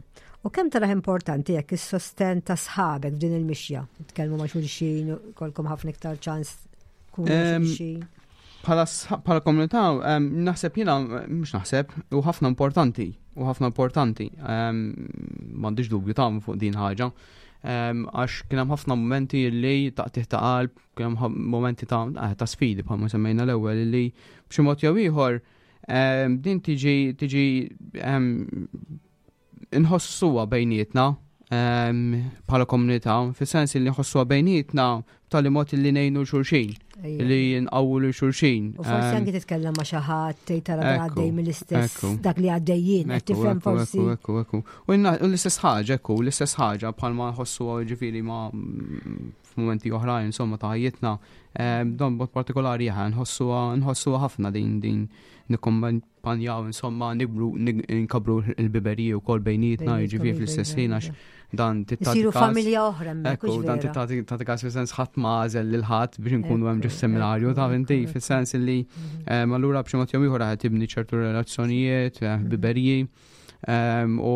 U kemm taraħ importanti jekk is-sosten ta' sħabek f'din il-mixja? Tkellmu ma' xulxin, kolkom ħafna iktar ċans tkunu ma' Em, xulxin. Bħala sħ- bħala komunità, em, naħseb jiena, mhux naħseb, u ħafna importanti, u ħafna importanti. em, M'għandix dubju ta' fuq din ħaġa. Em, Għax kien hemm ħafna momenti li taqtih ta' qalb, kien hemm ħa- momenti ta' eh, ta' sfidi bħalma semmejna l-ewwel li b'xi mod jew ieħor em, din tiġi tiġi em, inħossuha bejnietna bħala komunità, fis-sens li nħossuha bejnietna b'tali mod li ngħinu xulxin, li nqawwu lil xulxin. U forsi anki titkellem ma' xi ħadd tgħid tara għaddej mill-istess dak li għaddejjin, qed tifhem forsi. Ekku, ekku. U l-istess ħaġa, ekku, l-istess ħaġa bħalma nħossu ġifieri ma' f'mumenti oħrajn insomma ta' ħajjitna, dan b'mod partikolari nħossuha ħafna din din nikkompanjaw insomma nikbru nkabru l-ħbiberiji wkoll bejnietna, jiġifieri fl-istess ħin għax dan Isiru familja oħra. Ekku, dan tagħti każ fis-sens ħadd ma għażel lil ħadd biex nkunu hemm ġo seminarju ta' inti fis-sens li mhm. allura b'xi mod jew ieħor qed tibni ċertu relazzjonijiet, eh, ħbiberiji u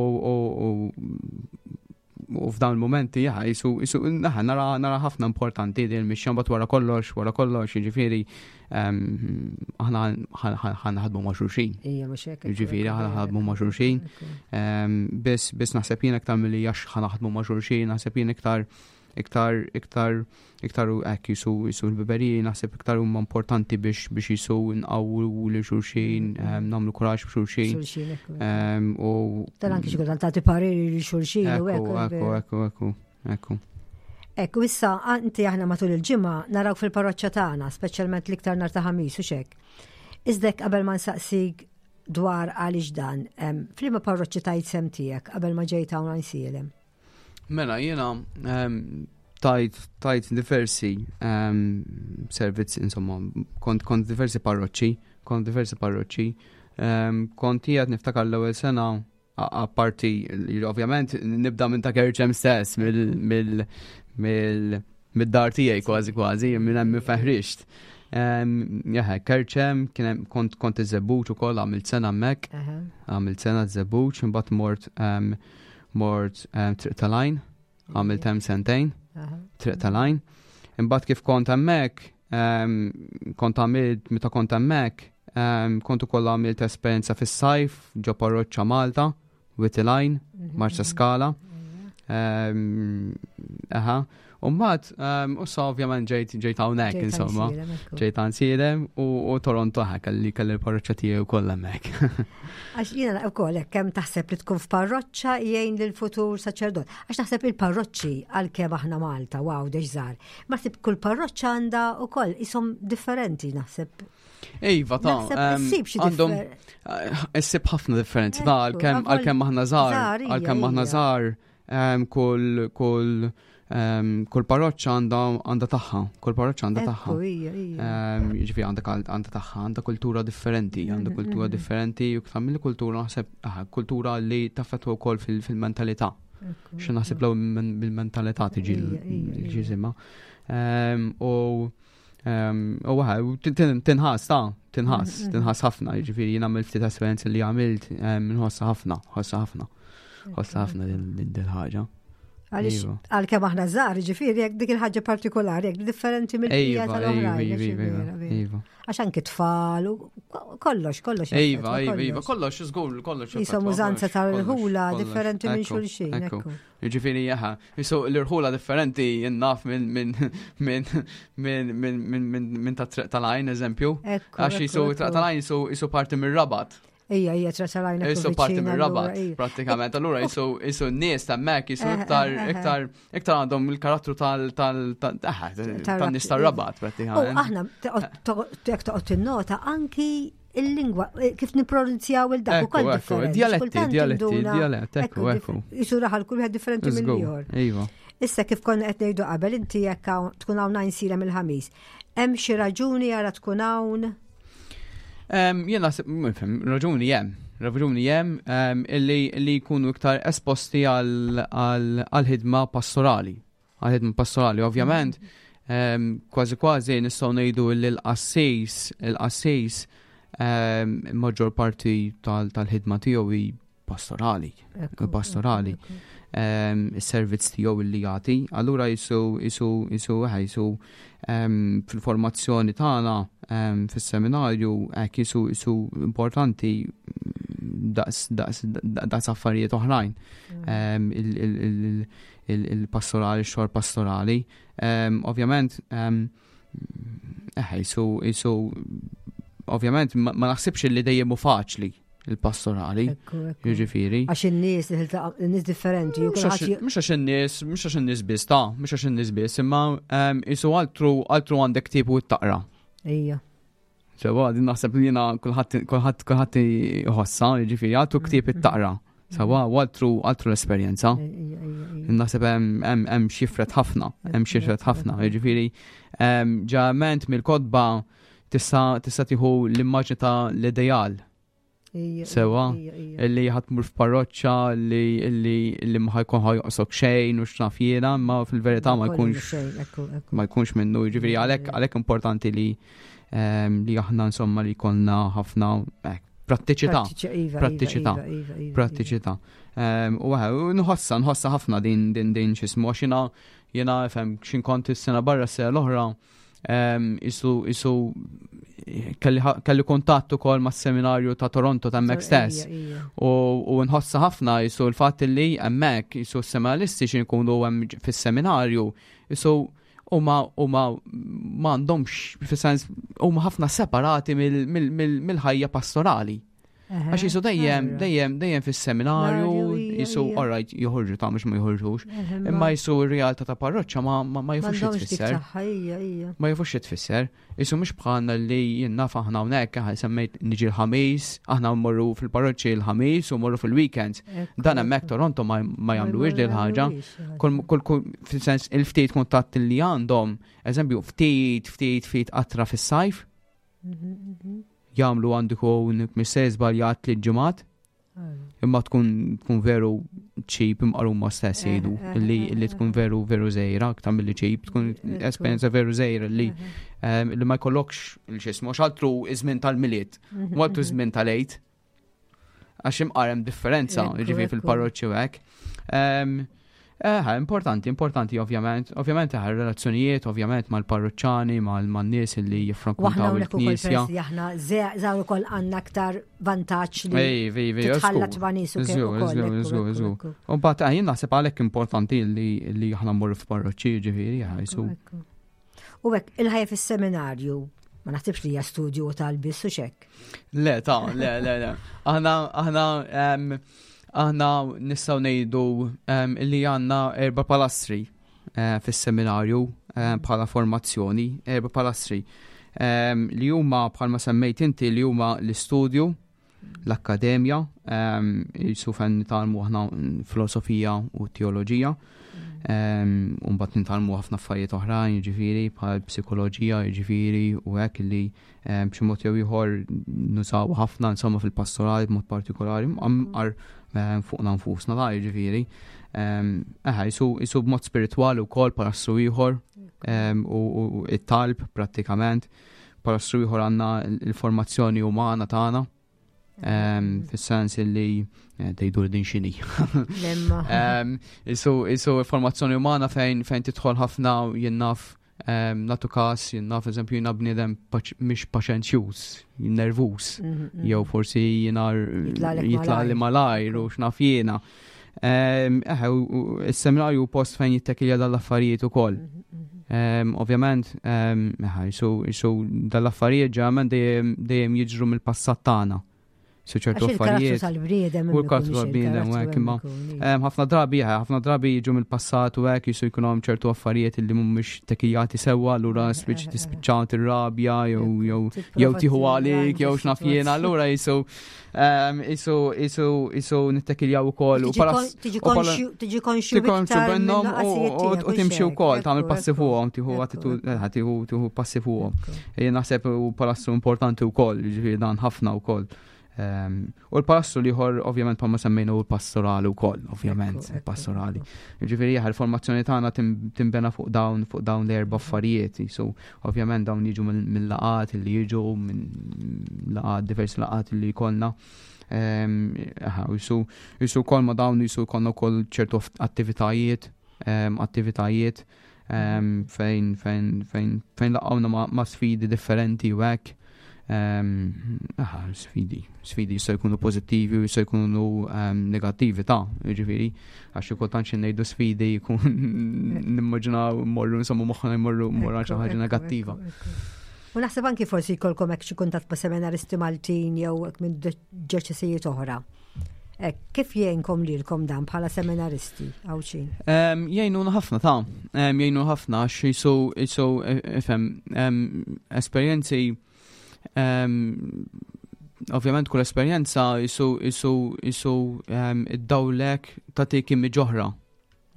u f'dawn il-momenti jaha jisu jisu naħa nara nara ħafna importanti din il-mixja mbagħad wara kollox wara kollox jiġifieri aħna ħa naħdmu ma' xulxin. Jiġifieri aħna naħdmu ma' xulxin. Biss biss naħseb jien iktar milli għax ħa naħdmu ma' xulxin, naħseb jien iktar iktar iktar iktar hekk jisu jisu l-ħbiberiji naħseb iktar huma importanti biex biex jisu nqawwu lil xulxin, nagħmlu kuraġġ b'xulxin. U tal anki xi kultant tagħti pariri lil xulxin u hekk. Ekku, ekku, ekku, ekku. Ekku, issa inti aħna matul il-ġimgħa narawk fil-parroċċa tagħna, speċjalment l-iktar nhar ta' Ħamis u xek. Iżdek qabel ma nsaqsik dwar għaliex dan, f'liema parroċċi tajt sehem tiegħek qabel ma ġejt hawn Għajnsielem? Mela, jiena tajt tajt diversi servizzi, insomma, kont kont diversi parroċċi, kont diversi parroċċi. Kont qiegħed niftakar l-ewwel sena apparti, ovvjament, nibda minn ta' Kerċem stess, mill mid-dar tiegħi kważi kważi, minn hemm feħrixt. Jaħe, Kerċem, kien kont kont iż-Żebbuġ ukoll għamilt sena hemmhekk, għamilt sena żebbuġ, imbagħad mort mort Triq tal-Għajn, għamilt hemm sentejn, Triq tal-Għajn. Imbagħad kif kont hemmhekk, kont għamilt meta kont hemmhekk, kont ukoll għamilt esperjenza fis-sajf ġo parroċċa Malta, Wied il-Għajn, Marsa Skala. Aha. U mbagħad, u sa ovvjament ġejt ġejt hawnhekk insomma. Ġejt Għajnsielem u Toronto ħa kelli kelli l-parroċċa tiegħi wkoll hemmhekk. Għax jiena wkoll hekk kemm taħseb li tkun f'parroċċa jgħin lil futur saċerdot. Għax naħseb il-parroċċi għalkemm aħna Malta, wow, żgħar. Ma naħseb kull parroċċa għandha wkoll ishom differenti naħseb. Iva, ta' għandhom issib ħafna differenzi ta' għalkemm għalkemm aħna żgħar, għalkemm aħna żgħar kull kull kull parroċċa għandha għandha tagħha, kull parroċċa għandha tagħha. Jiġifieri għandha għandha tagħha, għandha kultura differenti, għandha mhm, kultura mhm. differenti u iktar mill-kultura naħseb kultura li taffettwa wkoll fil-mentalità. Xi naħseb law bil-mentalità tiġi l-ġisimha. U u tinħass ta' tinħass, mhm, tinħass ħafna, jiġifieri jien għamilt ftit esperjenzi li għamilt nħossha ħafna, ħossha ħafna. Ħossha ħafna din ħaġa. Għaliex iva. għalkemm aħna żgħar, ġifieri jekk dik il-ħaġa partikolari, jekk differenti mill-bqija Iva, tal-oħrajn. iva, għax iva, vera, vera. iva. Għax anki tfal u kollox, kollox. Iva, jaffettwa iva, iva, kollox, żgur, kollox. Jisom jaffettwa, użanza kollox, tal-ħula kollox, differenti minn ekku, xulxin. ekku. Ekku. Ġifieri, jaha, jisu l-irħula differenti jinnaf minn minn minn minn minn minn minn minn ta' Triq tal-Għajn, eżempju. Ekku, Għax ekku, jisu ekku. Triq tal-Għajn jisu jisu parti mir-Rabat. Ija, ija, Triq tal-Għajn. ekku Jisu parti viċin, mir-Rabat, allura, ija. pratikament. Allura jisu jisu n-nies ta' mek, jisu Eh, iktar eh, eh. iktar iktar għandhom il-karattru tal tal tal ah, tan-nies tar-Rabat, U pratikament. aħna jekk toqgħod tinnota anki il-lingwa eh, kif nippronunzjaw il-dak Ekku, ukoll ekku, differenti. dialetti, Kultant dialetti, induna- dialett, ekku, ekku. Jisu raħal kull wieħed differenti Żgur, mill-ieħor. Iva. Issa kif konna qed ngħidu qabel inti jekk hawn- tkun hawn Għajnsielem il-Ħamis. Hemm xi raġuni għala tkun hawn? Em, Jien naħseb, nifhem, raġuni hemm, raġuni hemm em, illi illi jkunu iktar esposti għal għal ħidma pastorali. Għal ħidma pastorali, ovvjament, em, kważi kważi nistgħu ngħidu li l-qassis, il-qassis em, maġġor parti tal- tal-ħidma tiegħu hi pastorali. Ekku, Pastorali. ekku, ekku. um, is-servizz tiegħu li jagħti. Allura jisu jisu jisu eħe, jisu um, fil-formazzjoni tagħna um, fis-seminarju hekk jisu jisu importanti daqs daqs daqs affarijiet oħrajn. Um, il- il- il- il- il-pastorali, x-xogħol pastorali. Um, ovvjament, um, eħe, jisu jisu ovvjament ma ma naħsibx li dejjem hu faċli il-pastorali. Jiġifieri. Għax in-nies in-nies differenti. Mhux għax in-nies, mhux għax in-nies biss ta' mhux għax in-nies biss, imma isu altru altru għandek ktieb u taqra. Ejja. Sewa, din naħseb li jiena kulħadd kulħadd kulħadd iħossha, jiġifieri altru ktieb it-taqra. Sewa, u altru altru l-esperjenza. Naħseb hemm xifret ħafna, hemm xifret ħafna, jiġifieri ġament mill-kotba tista' tista' tieħu l-immaġni ta' l-ideal. Sewa, illi ħa tmur f'parroċċa li illi illi ma ħajkun ħajoqsok xejn u x'naf jiena, imma fil-verità ma jkunx ma jkunx minnu, jiġifieri għalhekk għalhekk importanti li li aħna insomma li jkollna ħafna prattiċità. Prattiċità. Prattiċità. U nħossa, nħossa ħafna din din din x'ismu għax jiena jiena fhem x'in kont is-sena barra s-sena l-oħra isu isu kelli kuntatt ukoll mas-seminarju ta' Toronto ta' hemmhekk stess. U nħossa ħafna jisu l-fatt li hemmhekk jisu s-seminaristi xi jkunu hemm fis-seminarju jisu huma huma m'għandhomx fis-sens huma ħafna separati mill-ħajja pastorali. Għax jisu dejjem, dejjem, dejjem fis-seminarju, jisu, alright, joħorġu ta' mhux ma joħorġux, imma jisu r-realtà ta' parroċċa ma ma jafux xi tfisser. Ma jafux xi tfisser. Jisu mhux bħalna li jien naf aħna hawnhekk semmejt niġi l-ħamis, aħna mmorru fil-parroċċi l-ħamis u mmorru fil-weekends. Dan hemmhekk Toronto ma jagħmluhiex din ħaġa. Kull fil-sens il-ftit kuntatt li għandhom, eżempju, ftit, ftit, ftit qatra fis-sajf. Jagħmlu għandu jkun missej żbaljat li ġimgħat. Imma tkun tkun veru cheap imqar huma stess jgħidu li li tkun veru veru żgħira aktar milli cheap, tkun esperjenza veru żgħira li li ma jkollokx il-xismu għax altru iż-żmien tal-Milied, u altru żmien tal-Għid. Għax imqar hemm differenza, jiġifieri fil-parroċċi u hekk. Eh, importanti, importanti ovvjament. Ovvjament eh, relazzjonijiet, ovvjament mal-parroċċani, mal-nies li jiffrekwentaw il-knisja. Aħna żgħar ukoll għandna aktar vantaġġ li titħallat ma' nies ukoll. U mbagħad eh, jien naħseb għalhekk importanti li li aħna mmorru f'parroċċi, ġifieri, jisu. U hekk il-ħajja fis-seminarju ma naħsibx li hija studju tal-biss u xek. Le, ta' le, le, le. Aħna, aħna, aħna nistgħu ngħidu li għandna erba' palastri eh, fis-seminarju eh, bħala formazzjoni, erba' palastri li huma bħalma semmejt inti li huma l-istudju, l-akkademja, jisu fejn nitgħallmu aħna filosofija u teoloġija, u mbagħad nitgħallmu ħafna affarijiet oħrajn, jiġifieri bħal psikoloġija, jiġifieri u hekk li b'xi mod jew ieħor nużaw ħafna insomma fil-pastorali b'mod partikolari, mqar fuqna nfusna da jiġifieri. Eħe, jisu b'mod spiritwali wkoll palastru ieħor u it-talb prattikament. Palastru ieħor għandna l-formazzjoni umana tagħna. Fis-sens li tgħidu li din x'inhi. Isu isu formazzjoni umana fejn fejn tidħol ħafna jien naf nagħtu każ, jien naf eżempju jiena bniedem mhix paċenzjuż, nervuż, jew forsi jiena jitlaqli malajr u x'naf jiena. Eħe, is-seminarju post fejn jittekilja dal-affarijiet ukoll. Ovvjament, eħe, jisu dal-affarijiet ġeneralment dejjem jiġru mill-passat tagħna. Su ċertu affarijiet. U l-karattru tal-bniedem u hekk imma ħafna drabi, ħafna drabi jiġu mill-passat u hekk jisu jkun hemm ċertu affarijiet li mhumiex tekijati sewwa, allura spiċ tispiċċa tirrabja jew jew jew tieħu għalik jew x'naf jiena, allura jisu jisu jisu jisu nittekiljaw ukoll u tiġi konxju minnhom u timxi wkoll tagħmel passi fuqhom, tieħu attitudni tieħu tieħu passi fuqhom. Jien naħseb u palastru importanti wkoll, jiġifieri dan ħafna wkoll. U l-palastru liħor, ovvjament, bħalma semmejna u l-pastorali wkoll, ovvjament, pastorali. Ġifieri jaħ, il-formazzjoni tagħna timbena fuq dawn, fuq dawn l-erba' affarijiet. So, ovvjament dawn jiġu mill-laqat li jiġu minn laqat, diversi laqat li jkollna. Jisu, jisu wkoll ma dawn jisu jkollna wkoll ċertu attivitajiet, attivitajiet fejn, fejn, fejn, fejn laqgħuna ma sfidi differenti u hekk. Aha, sfidi, sfidi jistgħu jkunu pożittivi u jistgħu jkunu negattivi ta' jiġifieri, għax xi kultant xi ngħidu sfidi jkun nimmaġinaw mmorru insomma moħħna jmorru mmorru għal xi ħaġa negattiva. U naħseb anki forsi jkollkom hekk xi kuntatt ma' seminaristi Maltin jew hekk minn djoċesijiet oħra. Hekk, kif jgħinkom lilkom dan bħala seminaristi Għawdxin? Em, Jgħinuna ħafna ta' Em, jgħinu ħafna għax jisu jisu ifhem em, esperjenzi em, ovvjament kull esperjenza jisu jisu jisu em, id-dawlek tagħtik image oħra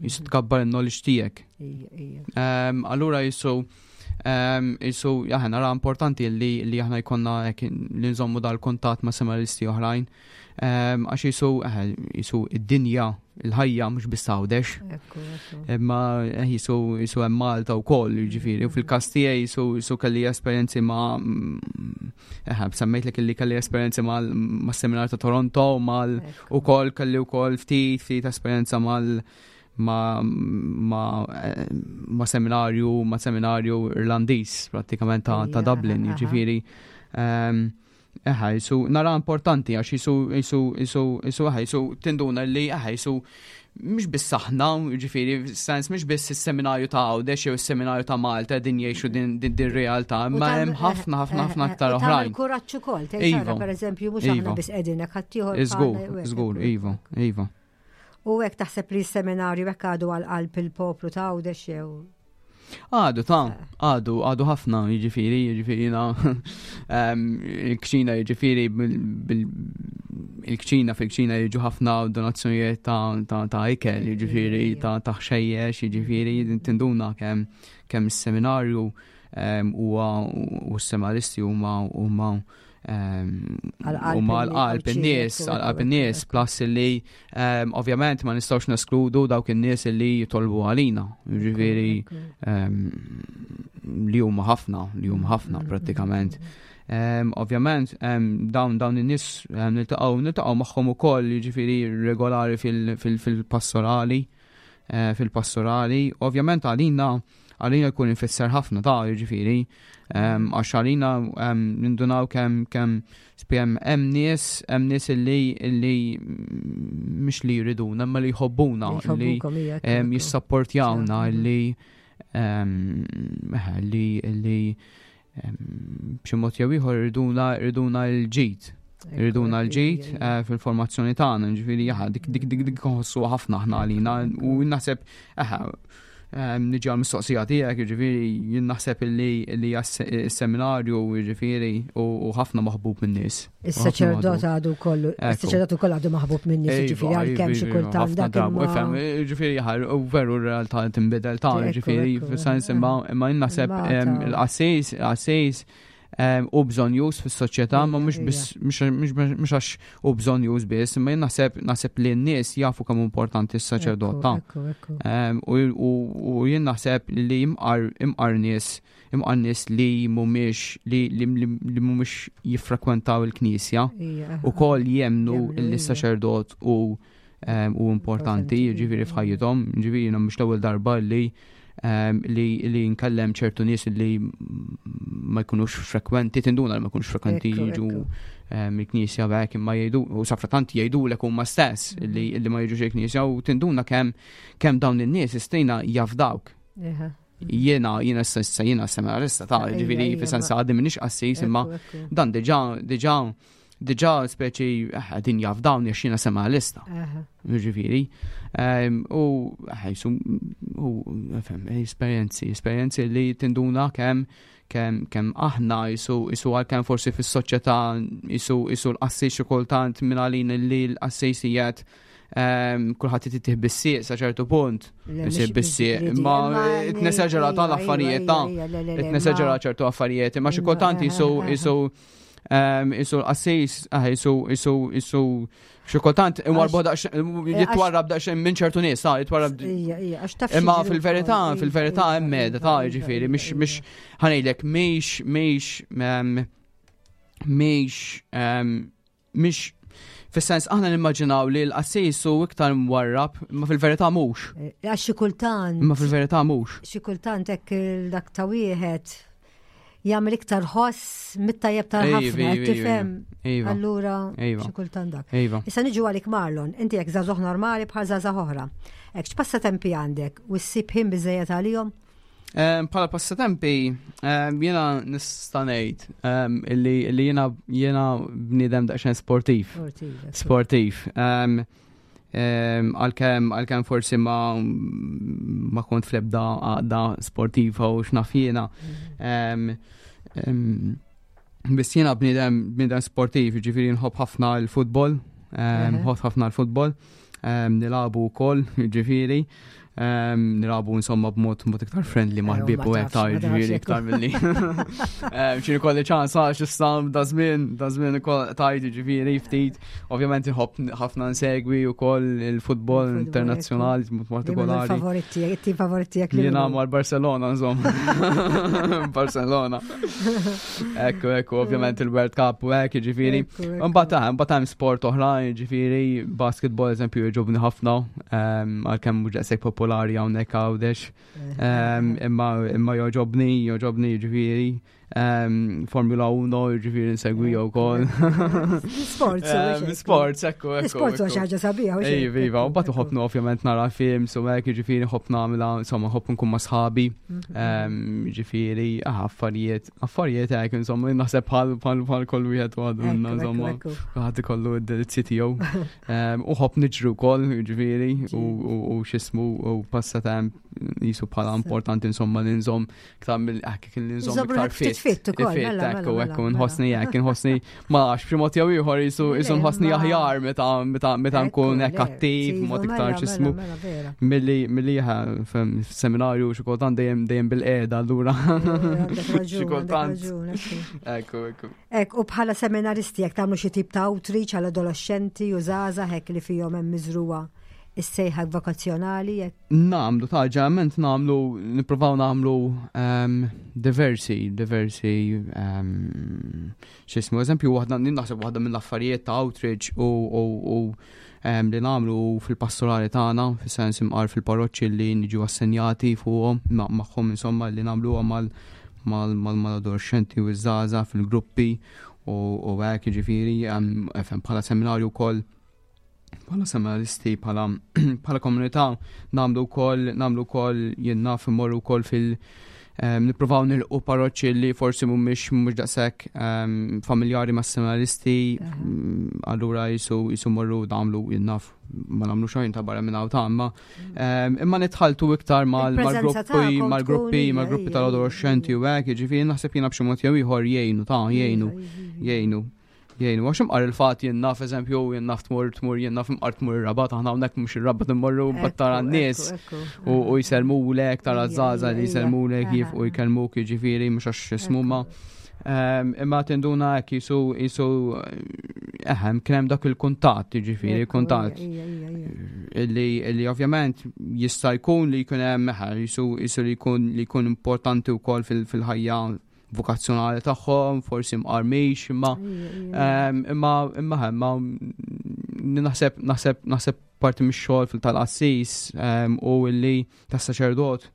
jisu tkabbar il-knowledge tiegħek. Ija, ija. Em, Allura jisu em, jisu jaħna nara importanti li li aħna jkollna hekk li nżommu dal-kuntatt ma' seminaristi oħrajn. Em, Għax jisu eh, jisu id-dinja, il-ħajja mhux biss Għawdex. Ekku, ekku. Imma eh, jisu jisu hemm Malta wkoll, jiġifieri, u fil-każ tiegħi jisu jisu kelli esperjenzi ma' mm, eh, semmejtlek li kelli esperjenzi mal ma' seminar ta' Toronto, mal Ekku. ukoll kelli wkoll ftit ftit esperjenza mal ma ma eh, ma seminarju ma seminarju Irlandiż prattikament ta', ta' Ija, Dublin, aha, aha. jiġifieri. ehm, Eħa, jisu, nara importanti għax jisu, jisu, jisu, jisu, eħa, jisu, tinduna li, eħa, jisu, mhux biss aħna, ġifieri, sens mhux biss is-seminarju ta' Għawdex jew is-seminarju ta' Malta din jgħixu din din din realtà, U imma tam- hemm ħafna ħafna eh, ħafna eh, aktar u tagħmel oħrajn. kuraġġ ukoll, tgħid Iva. tara pereżempju mhux aħna Iva. biss qegħdin hekk ħaddieħor Żgur, bħalna, u hekk, żgur, ekku. iva, iva. U hekk taħseb li s-seminarju hekk għadu għal qalb il-poplu ta' Għawdex jew Għadu ta' għadu, għadu ħafna, jiġifieri, jiġifieri na, em, il-kċina jiġifieri, bil- bil- il-kċina fil-kċina jiġu ħafna donazzjonijiet ta' ta' ta' ikel, jiġifieri, ta' ta' ħxejjex, jiġifieri, tinduna kemm kemm is-seminarju em, huwa u s-seminaristi huma huma em, Għal-qalb huma in- għal-qalb Għawdxin, in-nies, ekku, għal-qalb ekku, in-nies, ekku. plus li em, ovvjament ma nistgħux neskludu dawk in-nies li jitolbu għalina, jiġifieri Ekku. em, li huma ħafna, li huma ħafna Mm, prattikament. Em, Ovvjament, em, dawn dawn in-nies em, niltaqgħu niltaqgħu magħhom ukoll jiġifieri regolari fil- fil- fil-pastorali, eh, fil-pastorali. Ovvjament għalina għalina jkun ifisser ħafna ta' jiġifieri, em, għax għalina em, nindunaw kemm kemm spjem hemm nies hemm nies illi illi mhux li jriduna, imma li jħobbuna, li Jħobbukom, ija, ekku, em, ekku. jissapportjawna Mhm. li em, eh, li li em, b'xi mod jew ieħor iriduna iriduna l-ġid. Ekku, Iriduna ekku, l-ġid ija, ija. eh, fil-formazzjoni tagħna, ġifieri jaħa dik dik dik dik nħossu ħafna aħna għalina u naħseb eħe em, niġi għal mistoqsija tiegħek, jiġifieri jien naħseb illi li s-seminarju jiġifieri u u ħafna maħbub min-nies. Is-saċerdot għadu kollu, Ekku. is-saċerdot ukoll għadu maħbub minn nies, ġifieri għalkemm xi kultant dak drabu, imma- ifhem, ġifieri jaħar, u veru r-realtà tinbidel ta' Ekku, ġifieri, ekku, fis-sens eh. imma imma jien naħseb Imma em, ta' il-qassis, il-qassis em, u bżonnjuż fis-soċjetà, ma Ija, mhux biss mhux mhux mhux għax u bżonnjuż biss, imma jien naħseb naħseb li n-nies jafu kemm importanti s-saċerdot ta' Ekku, ekku. Em, U u- u jien naħseb li imqar imqar nies imqar nies li mhumiex li li li mhumiex jiffrekwentaw il-knisja Ija, u kol jemnu Jemmnu, li ija. saċerdot u em, u importanti Importanti, ġifieri ija. f'ħajjithom, ġifieri jiena mhux l-ewwel darba li em, li li nkellem ċertu nies li ma jkunux frekwenti, tinduna li ma jkunux frekwenti Ekku, jiġu ekku. em, il-knisja b'hekk imma jgħidu u safratant jgħidulek huma stess li li ma jiġux il-knisja u tinduna kemm kemm dawn in-nies istina jafdawk. Iha. Jiena jiena issa jiena seminarista ta' Ija, ġifieri ija, fis-sens ma- għadni m'iniex qassis imma Ekku, ekku. dan diġà diġà diġà speċi eh, din jafdawni għax jiena seminarista. Aha. Ġifieri. Em, U eh, jisu u fhem, esperjenzi, esperjenzi li tinduna kemm kemm kemm aħna jisu jisu għalkemm forsi fis-soċjetà jisu jisu l-qassis xi kultant minn għalin li l-qassis qiegħed em, kulħadd itih bis-sieq sa ċertu punt. Le, Isir mhix bis-sieq, biss imma li- tnesaġera ija, tal-affarijiet ija, ta' ija, le, le, le, Itnesaġera ma- ċertu affarijiet, imma xi Imma, kultant eh, jisu eh, eh. jisu em, jisu l-qassis, ah, jisu jisu jisu xi kultant imwarbu daqs jitwarrab daqsxejn minn ċertu nies, ta' jitwarrab Ija, ija, għax taf Imma xi fil-verità, ġiri wkoll, fil-verità ija, hemm ija, meda ta' ija, ġifieri, ija, mhix ija. mhix ħanejlek mhix mhix em, mhix em, mhix fis-sens aħna nimmaġinaw li l-qassis hu iktar mwarrab, imma fil-verità mhux. Eh, Għax xi kultant, Imma fil-verità mhux. xi kultant hekk il- dak ta' wieħed jagħmel iktar ħoss mit-tajjeb Iva, tal-ħafna, iva, qed tifhem. Iva, Allura Iva. xi kultant dak. iva. Issa niġu għalik Marlon, inti jekk żagħżugħ normali bħal żagħżagħ oħra. Hekk x'passatempi għandek u ssib ħin biżejjed għalihom? Bħala passatempi, jiena nista' ngħid illi illi jiena jiena bniedem daqsxejn sportiv. Sportiv. Għalkemm għalkemm forsi ma ma kont fl-ebda għaqda sportiva u x'naf jiena. Biss jiena bniedem bniedem sportiv, ġifieri nħobb ħafna l-futbol, nħobb ħafna l-futbol, nilagħbu wkoll, ġifieri. Nilagħbu insomma b'mod mod iktar friendly ma' ħbieb u hekk ta', ġifieri iktar milli. Xi kolli ċans għax issa da żmien, da żmien ukoll tajt, ġifieri ftit. Ovvjament inħobb ħafna nsegwi wkoll il-futbol internazzjonali b'mod partikolari. Favoriti, it-tim favoriti jekk. Jiena mal-Barcelona insomma. Barcelona. Ekku, ekku, ovvjament il-World Cup u hekk, ġifieri. Imbagħad imbagħad hemm sport oħrajn, ġifieri basketball eżempju jogħġobni ħafna, għalkemm mhux daqshekk popolari hawnhekk Għawdex. Imma imma jogħġobni, jogħġobni ġifieri. Formula wieħed, ġifieri nsegwi wkoll. Sports. Sports, ekku, ekku. Sports huwa xi ħaġa sabiħa. Ej, iva, u mbagħad nħobb ovvjament nara films u hekk, ġifieri nħobb nagħmilha, insomma nħobb nkun ma' sħabi. Ġifieri, affarijiet, affarijiet hekk, insomma, naħseb bħal bħal bħal kull wieħed u għadu insomma, ħadd ikollu d-delizzi tiegħu. U nħobb niġru wkoll, ġifieri, u x'ismu u passatemp jisu bħala importanti insomma li nżomm iktar mill hekk li nżomm iktar fit. Fit ukoll. Mela, ekku, mela, ekku, mela. Nħossni hekk, nħossni ma nafx b'xi mod jew ieħor jisu jisu nħossni aħjar meta meta meta nkun hekk attiv mod iktar x'ismu milli milli seminarju xi kultant dejjem dejjem bil-qiegħda allura. Xi kultant. Ekku, ekku. Ek, u bħala seminaristi jekk tagħmlu xi tip ta' outreach għal adolescenti u żgħażagħ hekk li fihom hemm miżruwa is-sejħa vokazzjonali jekk? Nagħmlu ta', ġeneralment nagħmlu, nippruvaw nagħmlu diversi, diversi x'ismu, eżempju waħda, naħseb waħda mill-affarijiet ta' outreach u u li nagħmlu fil-pastorali tagħna, fis-sens imqar fil-parroċċi li niġu assenjati fuqhom magħhom, insomma li nagħmluha mal mal-adolescenti u ż-żgħażagħ fil-gruppi u hekk, jiġifieri bħala seminarju wkoll, bħala seminaristi, bħala bħala komunità nagħmlu wkoll nagħmlu wkoll jien naf immorru wkoll fil nippruvaw nilqu parroċċi li forsi mhumiex mhux daqshekk familjari mas seminaristi, allura jisu jisu morru nagħmlu, jien naf, ma nagħmlu xejn ta' barra minn hawn ta' imma imma nitħaltu iktar mal-gruppi mal-gruppi mal-gruppi tal-adolescenti u hekk, jiġifieri naħseb jiena b'xi mod jew ieħor jgħinu ta' jgħinu jgħinu jgħinu, għax imqar il-fat jien naf eżempju, jien naf tmur tmur jien naf imqar tmur ir-Rabat, aħna hawnhekk mhux ir-Rabat immorru tara n-nies u jsellmulek, tara żgħażagħ li jsellmulek kif u jkellmuk, jiġifieri mhux għax ismu ma. Imma tinduna hekk jisu jisu eħem kien hemm dak il-kuntatt, jiġifieri kuntatt illi illi ovvjament jista' jkun li jkun hemm eħe jisu jisu li jkun li jkun importanti wkoll fil-ħajja vokazzjonali tagħhom, forsi mqarmix, imma imma imma imma naħseb naħseb naħseb parti mix-xogħol fil tal-qassis u illi tas-saċerdot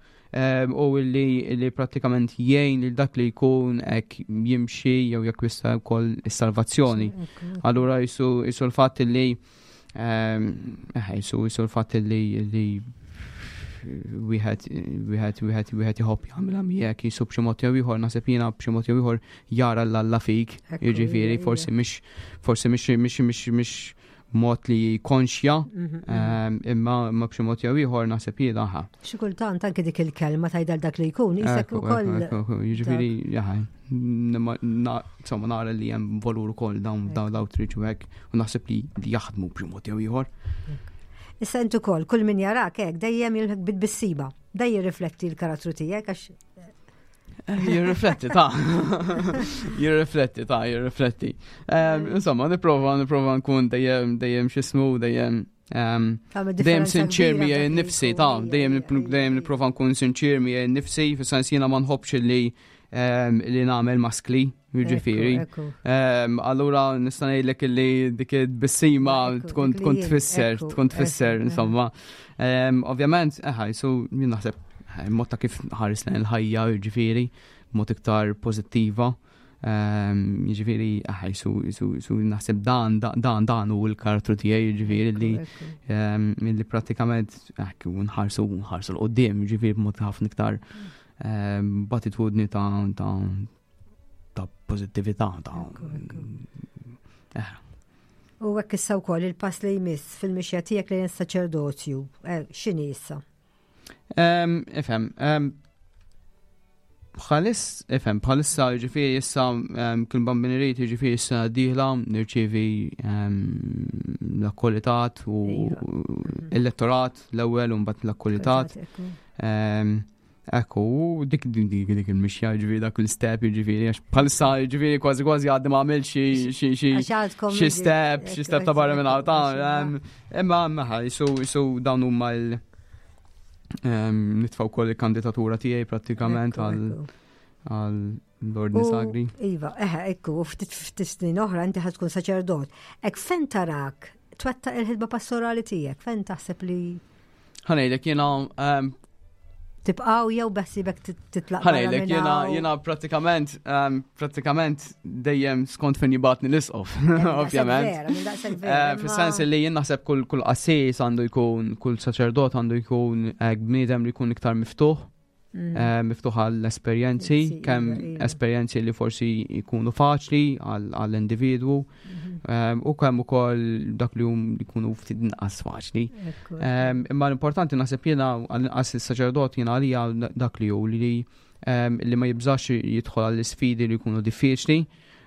u illi illi prattikament jgħin lil dak li jkun hekk jimxi jew jakkwista wkoll is-salvazzjoni. Allura jisu jisu l-fatt li jisu jisu l-fatt li li wieħed wieħed wieħed wieħed iħobb jagħmilha miegħek jisu b'xi mod jew ieħor, naħseb jiena b'xi mod jew ieħor jara l-Alla fik, jiġifieri forsi mhix forsi mhix mhix mhix mhix mod li konxja, imma imma b'xi mod jew ieħor naħseb jiena ħa. Xi kultant anke dik il-kelma tgħidha dak li jkun isek ukoll. Jiġifieri jaħ, insomma nara li hemm valur ukoll dawn dawn l-outreach u hekk u naħseb li jaħdmu b'xi mod jew ieħor. Issa intu ukoll, kull min jarak hekk dejjem jilħek bit-tbissima, dejjem jirrifletti l-karattru tiegħek għax Jirrifletti ta' jirrifletti ta' jirrifletti. Insomma, nipprova nipprova nkun dejjem dejjem x'ismu dejjem dejjem sinċir miegħi nnifsi ta' dejjem dejjem nipprova nkun sinċir miegħi nnifsi, fis-sens jiena ma nħobbx li li nagħmel maskli, jiġifieri. Allura nista' ngħidlek li dik it-tbissima tkun tkun tfisser, tkun tfisser, insomma. Ovvjament, eħa, jisu jien naħseb mod ta' kif ħares lejn il-ħajja, jiġifieri, mod iktar pożittiva. Jiġifieri, eħa, jisu, jisu, jisu naħseb dan, dan, dan hu l-karattru tiegħi, jiġifieri li li prattikament hekk nħarsu nħarsu 'l quddiem, jiġifieri b'mod ħafna iktar b'attitudni ta' ta' ta' pożittività ta' eh. U hekk issa wkoll il-pass li jmiss fil-mixja tiegħek lejn is-saċerdozju, eh, x'inhi issa? Ifhem, bħalis, ifhem, bħalissa ġifieri issa kien bambineriet, ġifieri issa dieħla nirċievi l-akkolitat u iva. l-lettorat l-ewwel u mbagħad l-akkolitat. Ekku, dik dik dik dik il-mixja, ġifieri dak il-step, ġifieri, għax bħalissa, ġifieri kważi kważi għaddi ma għamil xi xi xi xi step, xi step ta' barra minn hawn. Imma meħa, jisu jisu dawn huma l nitfaw kol il-kandidatura tiegħi prattikament għal għal l-ordni sagri. Iva, eħe, ekku, ftit ftit snin oħra inti ħad tkun saċerdot. Ek fejn tarak twettaq il-ħidma pastorali tiegħek, fejn taħseb li Ħa ngħidlek jiena tibqaw jew beħsibek titlaq? Ħa ngħidlek jiena jiena prattikament prattikament dejjem skont fejn jibgħatni l-isqof, ovvjament. Eh, fis-sens li jien naħseb kull kull qassis għandu jkun, kull saċerdot għandu jkun eh, bniedem li jkun iktar miftuħ. Mm. Eh, miftuħ għall-esperjenzi, kemm iva, iva. esperjenzi li forsi jkunu faċli għall-individwu mhm. ehm, u kemm ukoll dak li hum jkunu ftit inqas faċli. Ehm, imma l-importanti naħseb jiena għall-inqas il-saċerdot jiena għalija dak li hu li ehm, li ma jibżax jidħol għall-isfidi li jkunu diffiċli.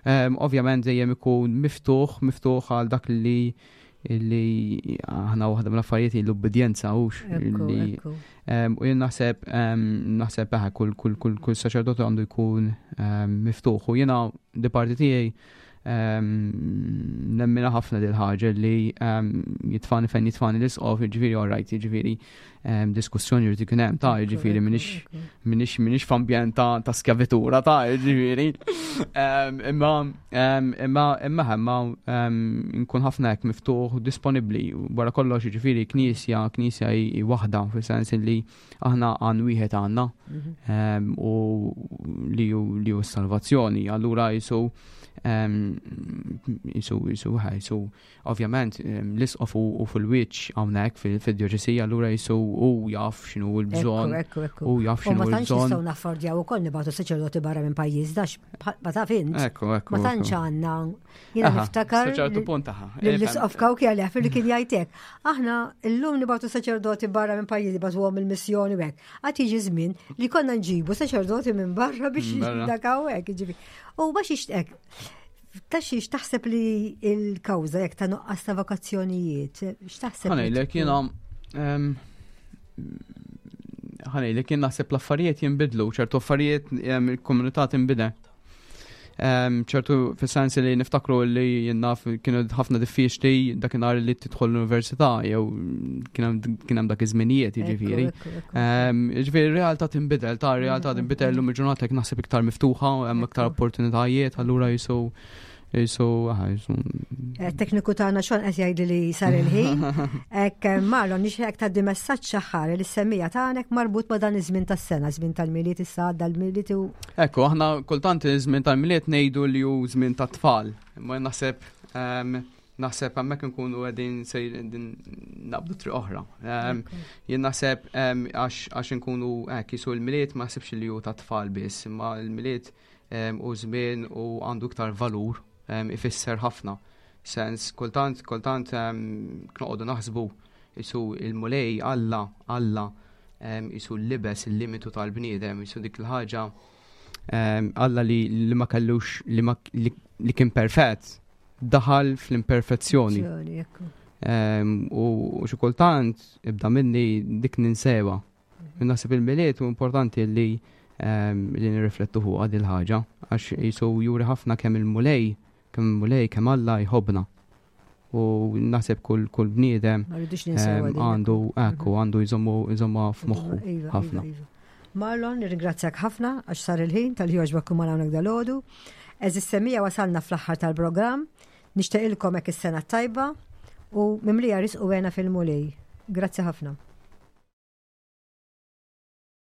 Ovvjament dejjem ikun miftuħ, miftuħ għal dak li li aħna waħda mill-affarijiet l-ubbidjenza hux li u jien naħseb naħseb eħe kull kull kull kull saċerdot għandu jkun miftuħ u jiena di parti tiegħi nemmina ħafna dil ħaġa li jitfani fejn jitfani l-isqof, ġifieri all right, ġifieri diskussjoni jrid ikun hemm ta' ġifieri minix minix minix f'ambjent ta' ta' skjavitura ta' ġifieri. Imma imma imma imma nkun ħafna hekk miftuħ u disponibbli wara kollox, ġifieri knisja knisja hi waħda fis-sens li aħna għan wieħed għandna mhm. u li li hu s-salvazzjoni. Allura jisu jisu jisu jisu ovvjament l-isqof u fil-wiċċ hawnhekk fil-djoċesi, allura jisu u jaf x'inhu l-bżonn. U jaf x'inhu l-bżonn. Ma tantx nistgħu naffordjaw ukoll nibgħatu saċerdoti barra minn pajjiż dax ma taf int. Ekku, ekku. Ma tantx għandna. Jiena niftakar. ċertu punt taħħa. L-isqof Kawki għalih li kien jgħidlek. Aħna llum nibgħatu saċerdoti barra minn pajjiż, nibgħatuhom il-missjoni u hekk. Għad jiġi żmien li konna nġibu saċerdoti minn barra biex dak hawnhekk, jiġifieri. U biex ixtek ta' xiex taħseb li il-kawża jekk ta' nuqqas ta' vokazzjonijiet? X'taħseb? Ħa ngħidlek jiena ħa ngħidlek jien naħseb l-affarijiet jinbidlu, ċertu affarijiet il-komunità tinbidel. Ċertu fis-sens li niftakru li jien naf kienu ħafna diffiċli dakinhar li tidħol l-università jew kien hemm dak iż-żminijiet jiġifieri. Jiġifieri r-realtà tinbidel, ta' realtà tinbidel llum il-ġurnata naħseb iktar miftuħa, hemm iktar opportunitajiet, allura jisu jisu jisu. Eh, tekniku tagħna xon qed jgħidli li sar il-ħin. Ek Marlon, nixtieq tgħaddi messaġġ aħħar li semmija tagħnek marbut ma' dan iż-żmien tas-sena, żmien tal-Milied issa għadda l-Milied u Ekku, aħna kultant iż-żmien tal-Milied ngħidu li hu żmien tat-tfal. Imma naħseb naħseb hemmhekk nkunu qegħdin sejrin naqbdu triq oħra. Jien naħseb għax nkunu hekk jisu l-Milied ma naħsibx li hu tat-tfal biss, imma l-Milied u żmien u għandu iktar valur, ifisser ħafna. Sens, kultant, kultant noqogħdu naħsbu jisu il-Mulej Alla, Alla jisu l-libes il-limitu tal-bniedem, jisu dik il-ħaġa Alla li, li ma kellux li, ma, li, li kien perfett daħal fl-imperfezzjoni. U xi kultant ibda minni dik ninsewa. Naħseb il-Milied u importanti li li nirriflettu fuq il ħaġa għax jisu juri ħafna kemm il-Mulej, kemm il-Mulej, kemm Alla jħobbna. U naħseb kull kull bniedem għandu ekku għandu jżommu jżomma f'moħħu iva, ħafna. Iva, iva. Marlon, nirringrazzjak ħafna għax sar il-ħin talli għoġbok tkun hawnhekk dalgħodu. Għeżież semmiegħa, wasalna fl-aħħar tal-programm. Nixtieqilkom hekk is-sena tajba u mimlija risq u hena fil-Mulej. Grazzi ħafna.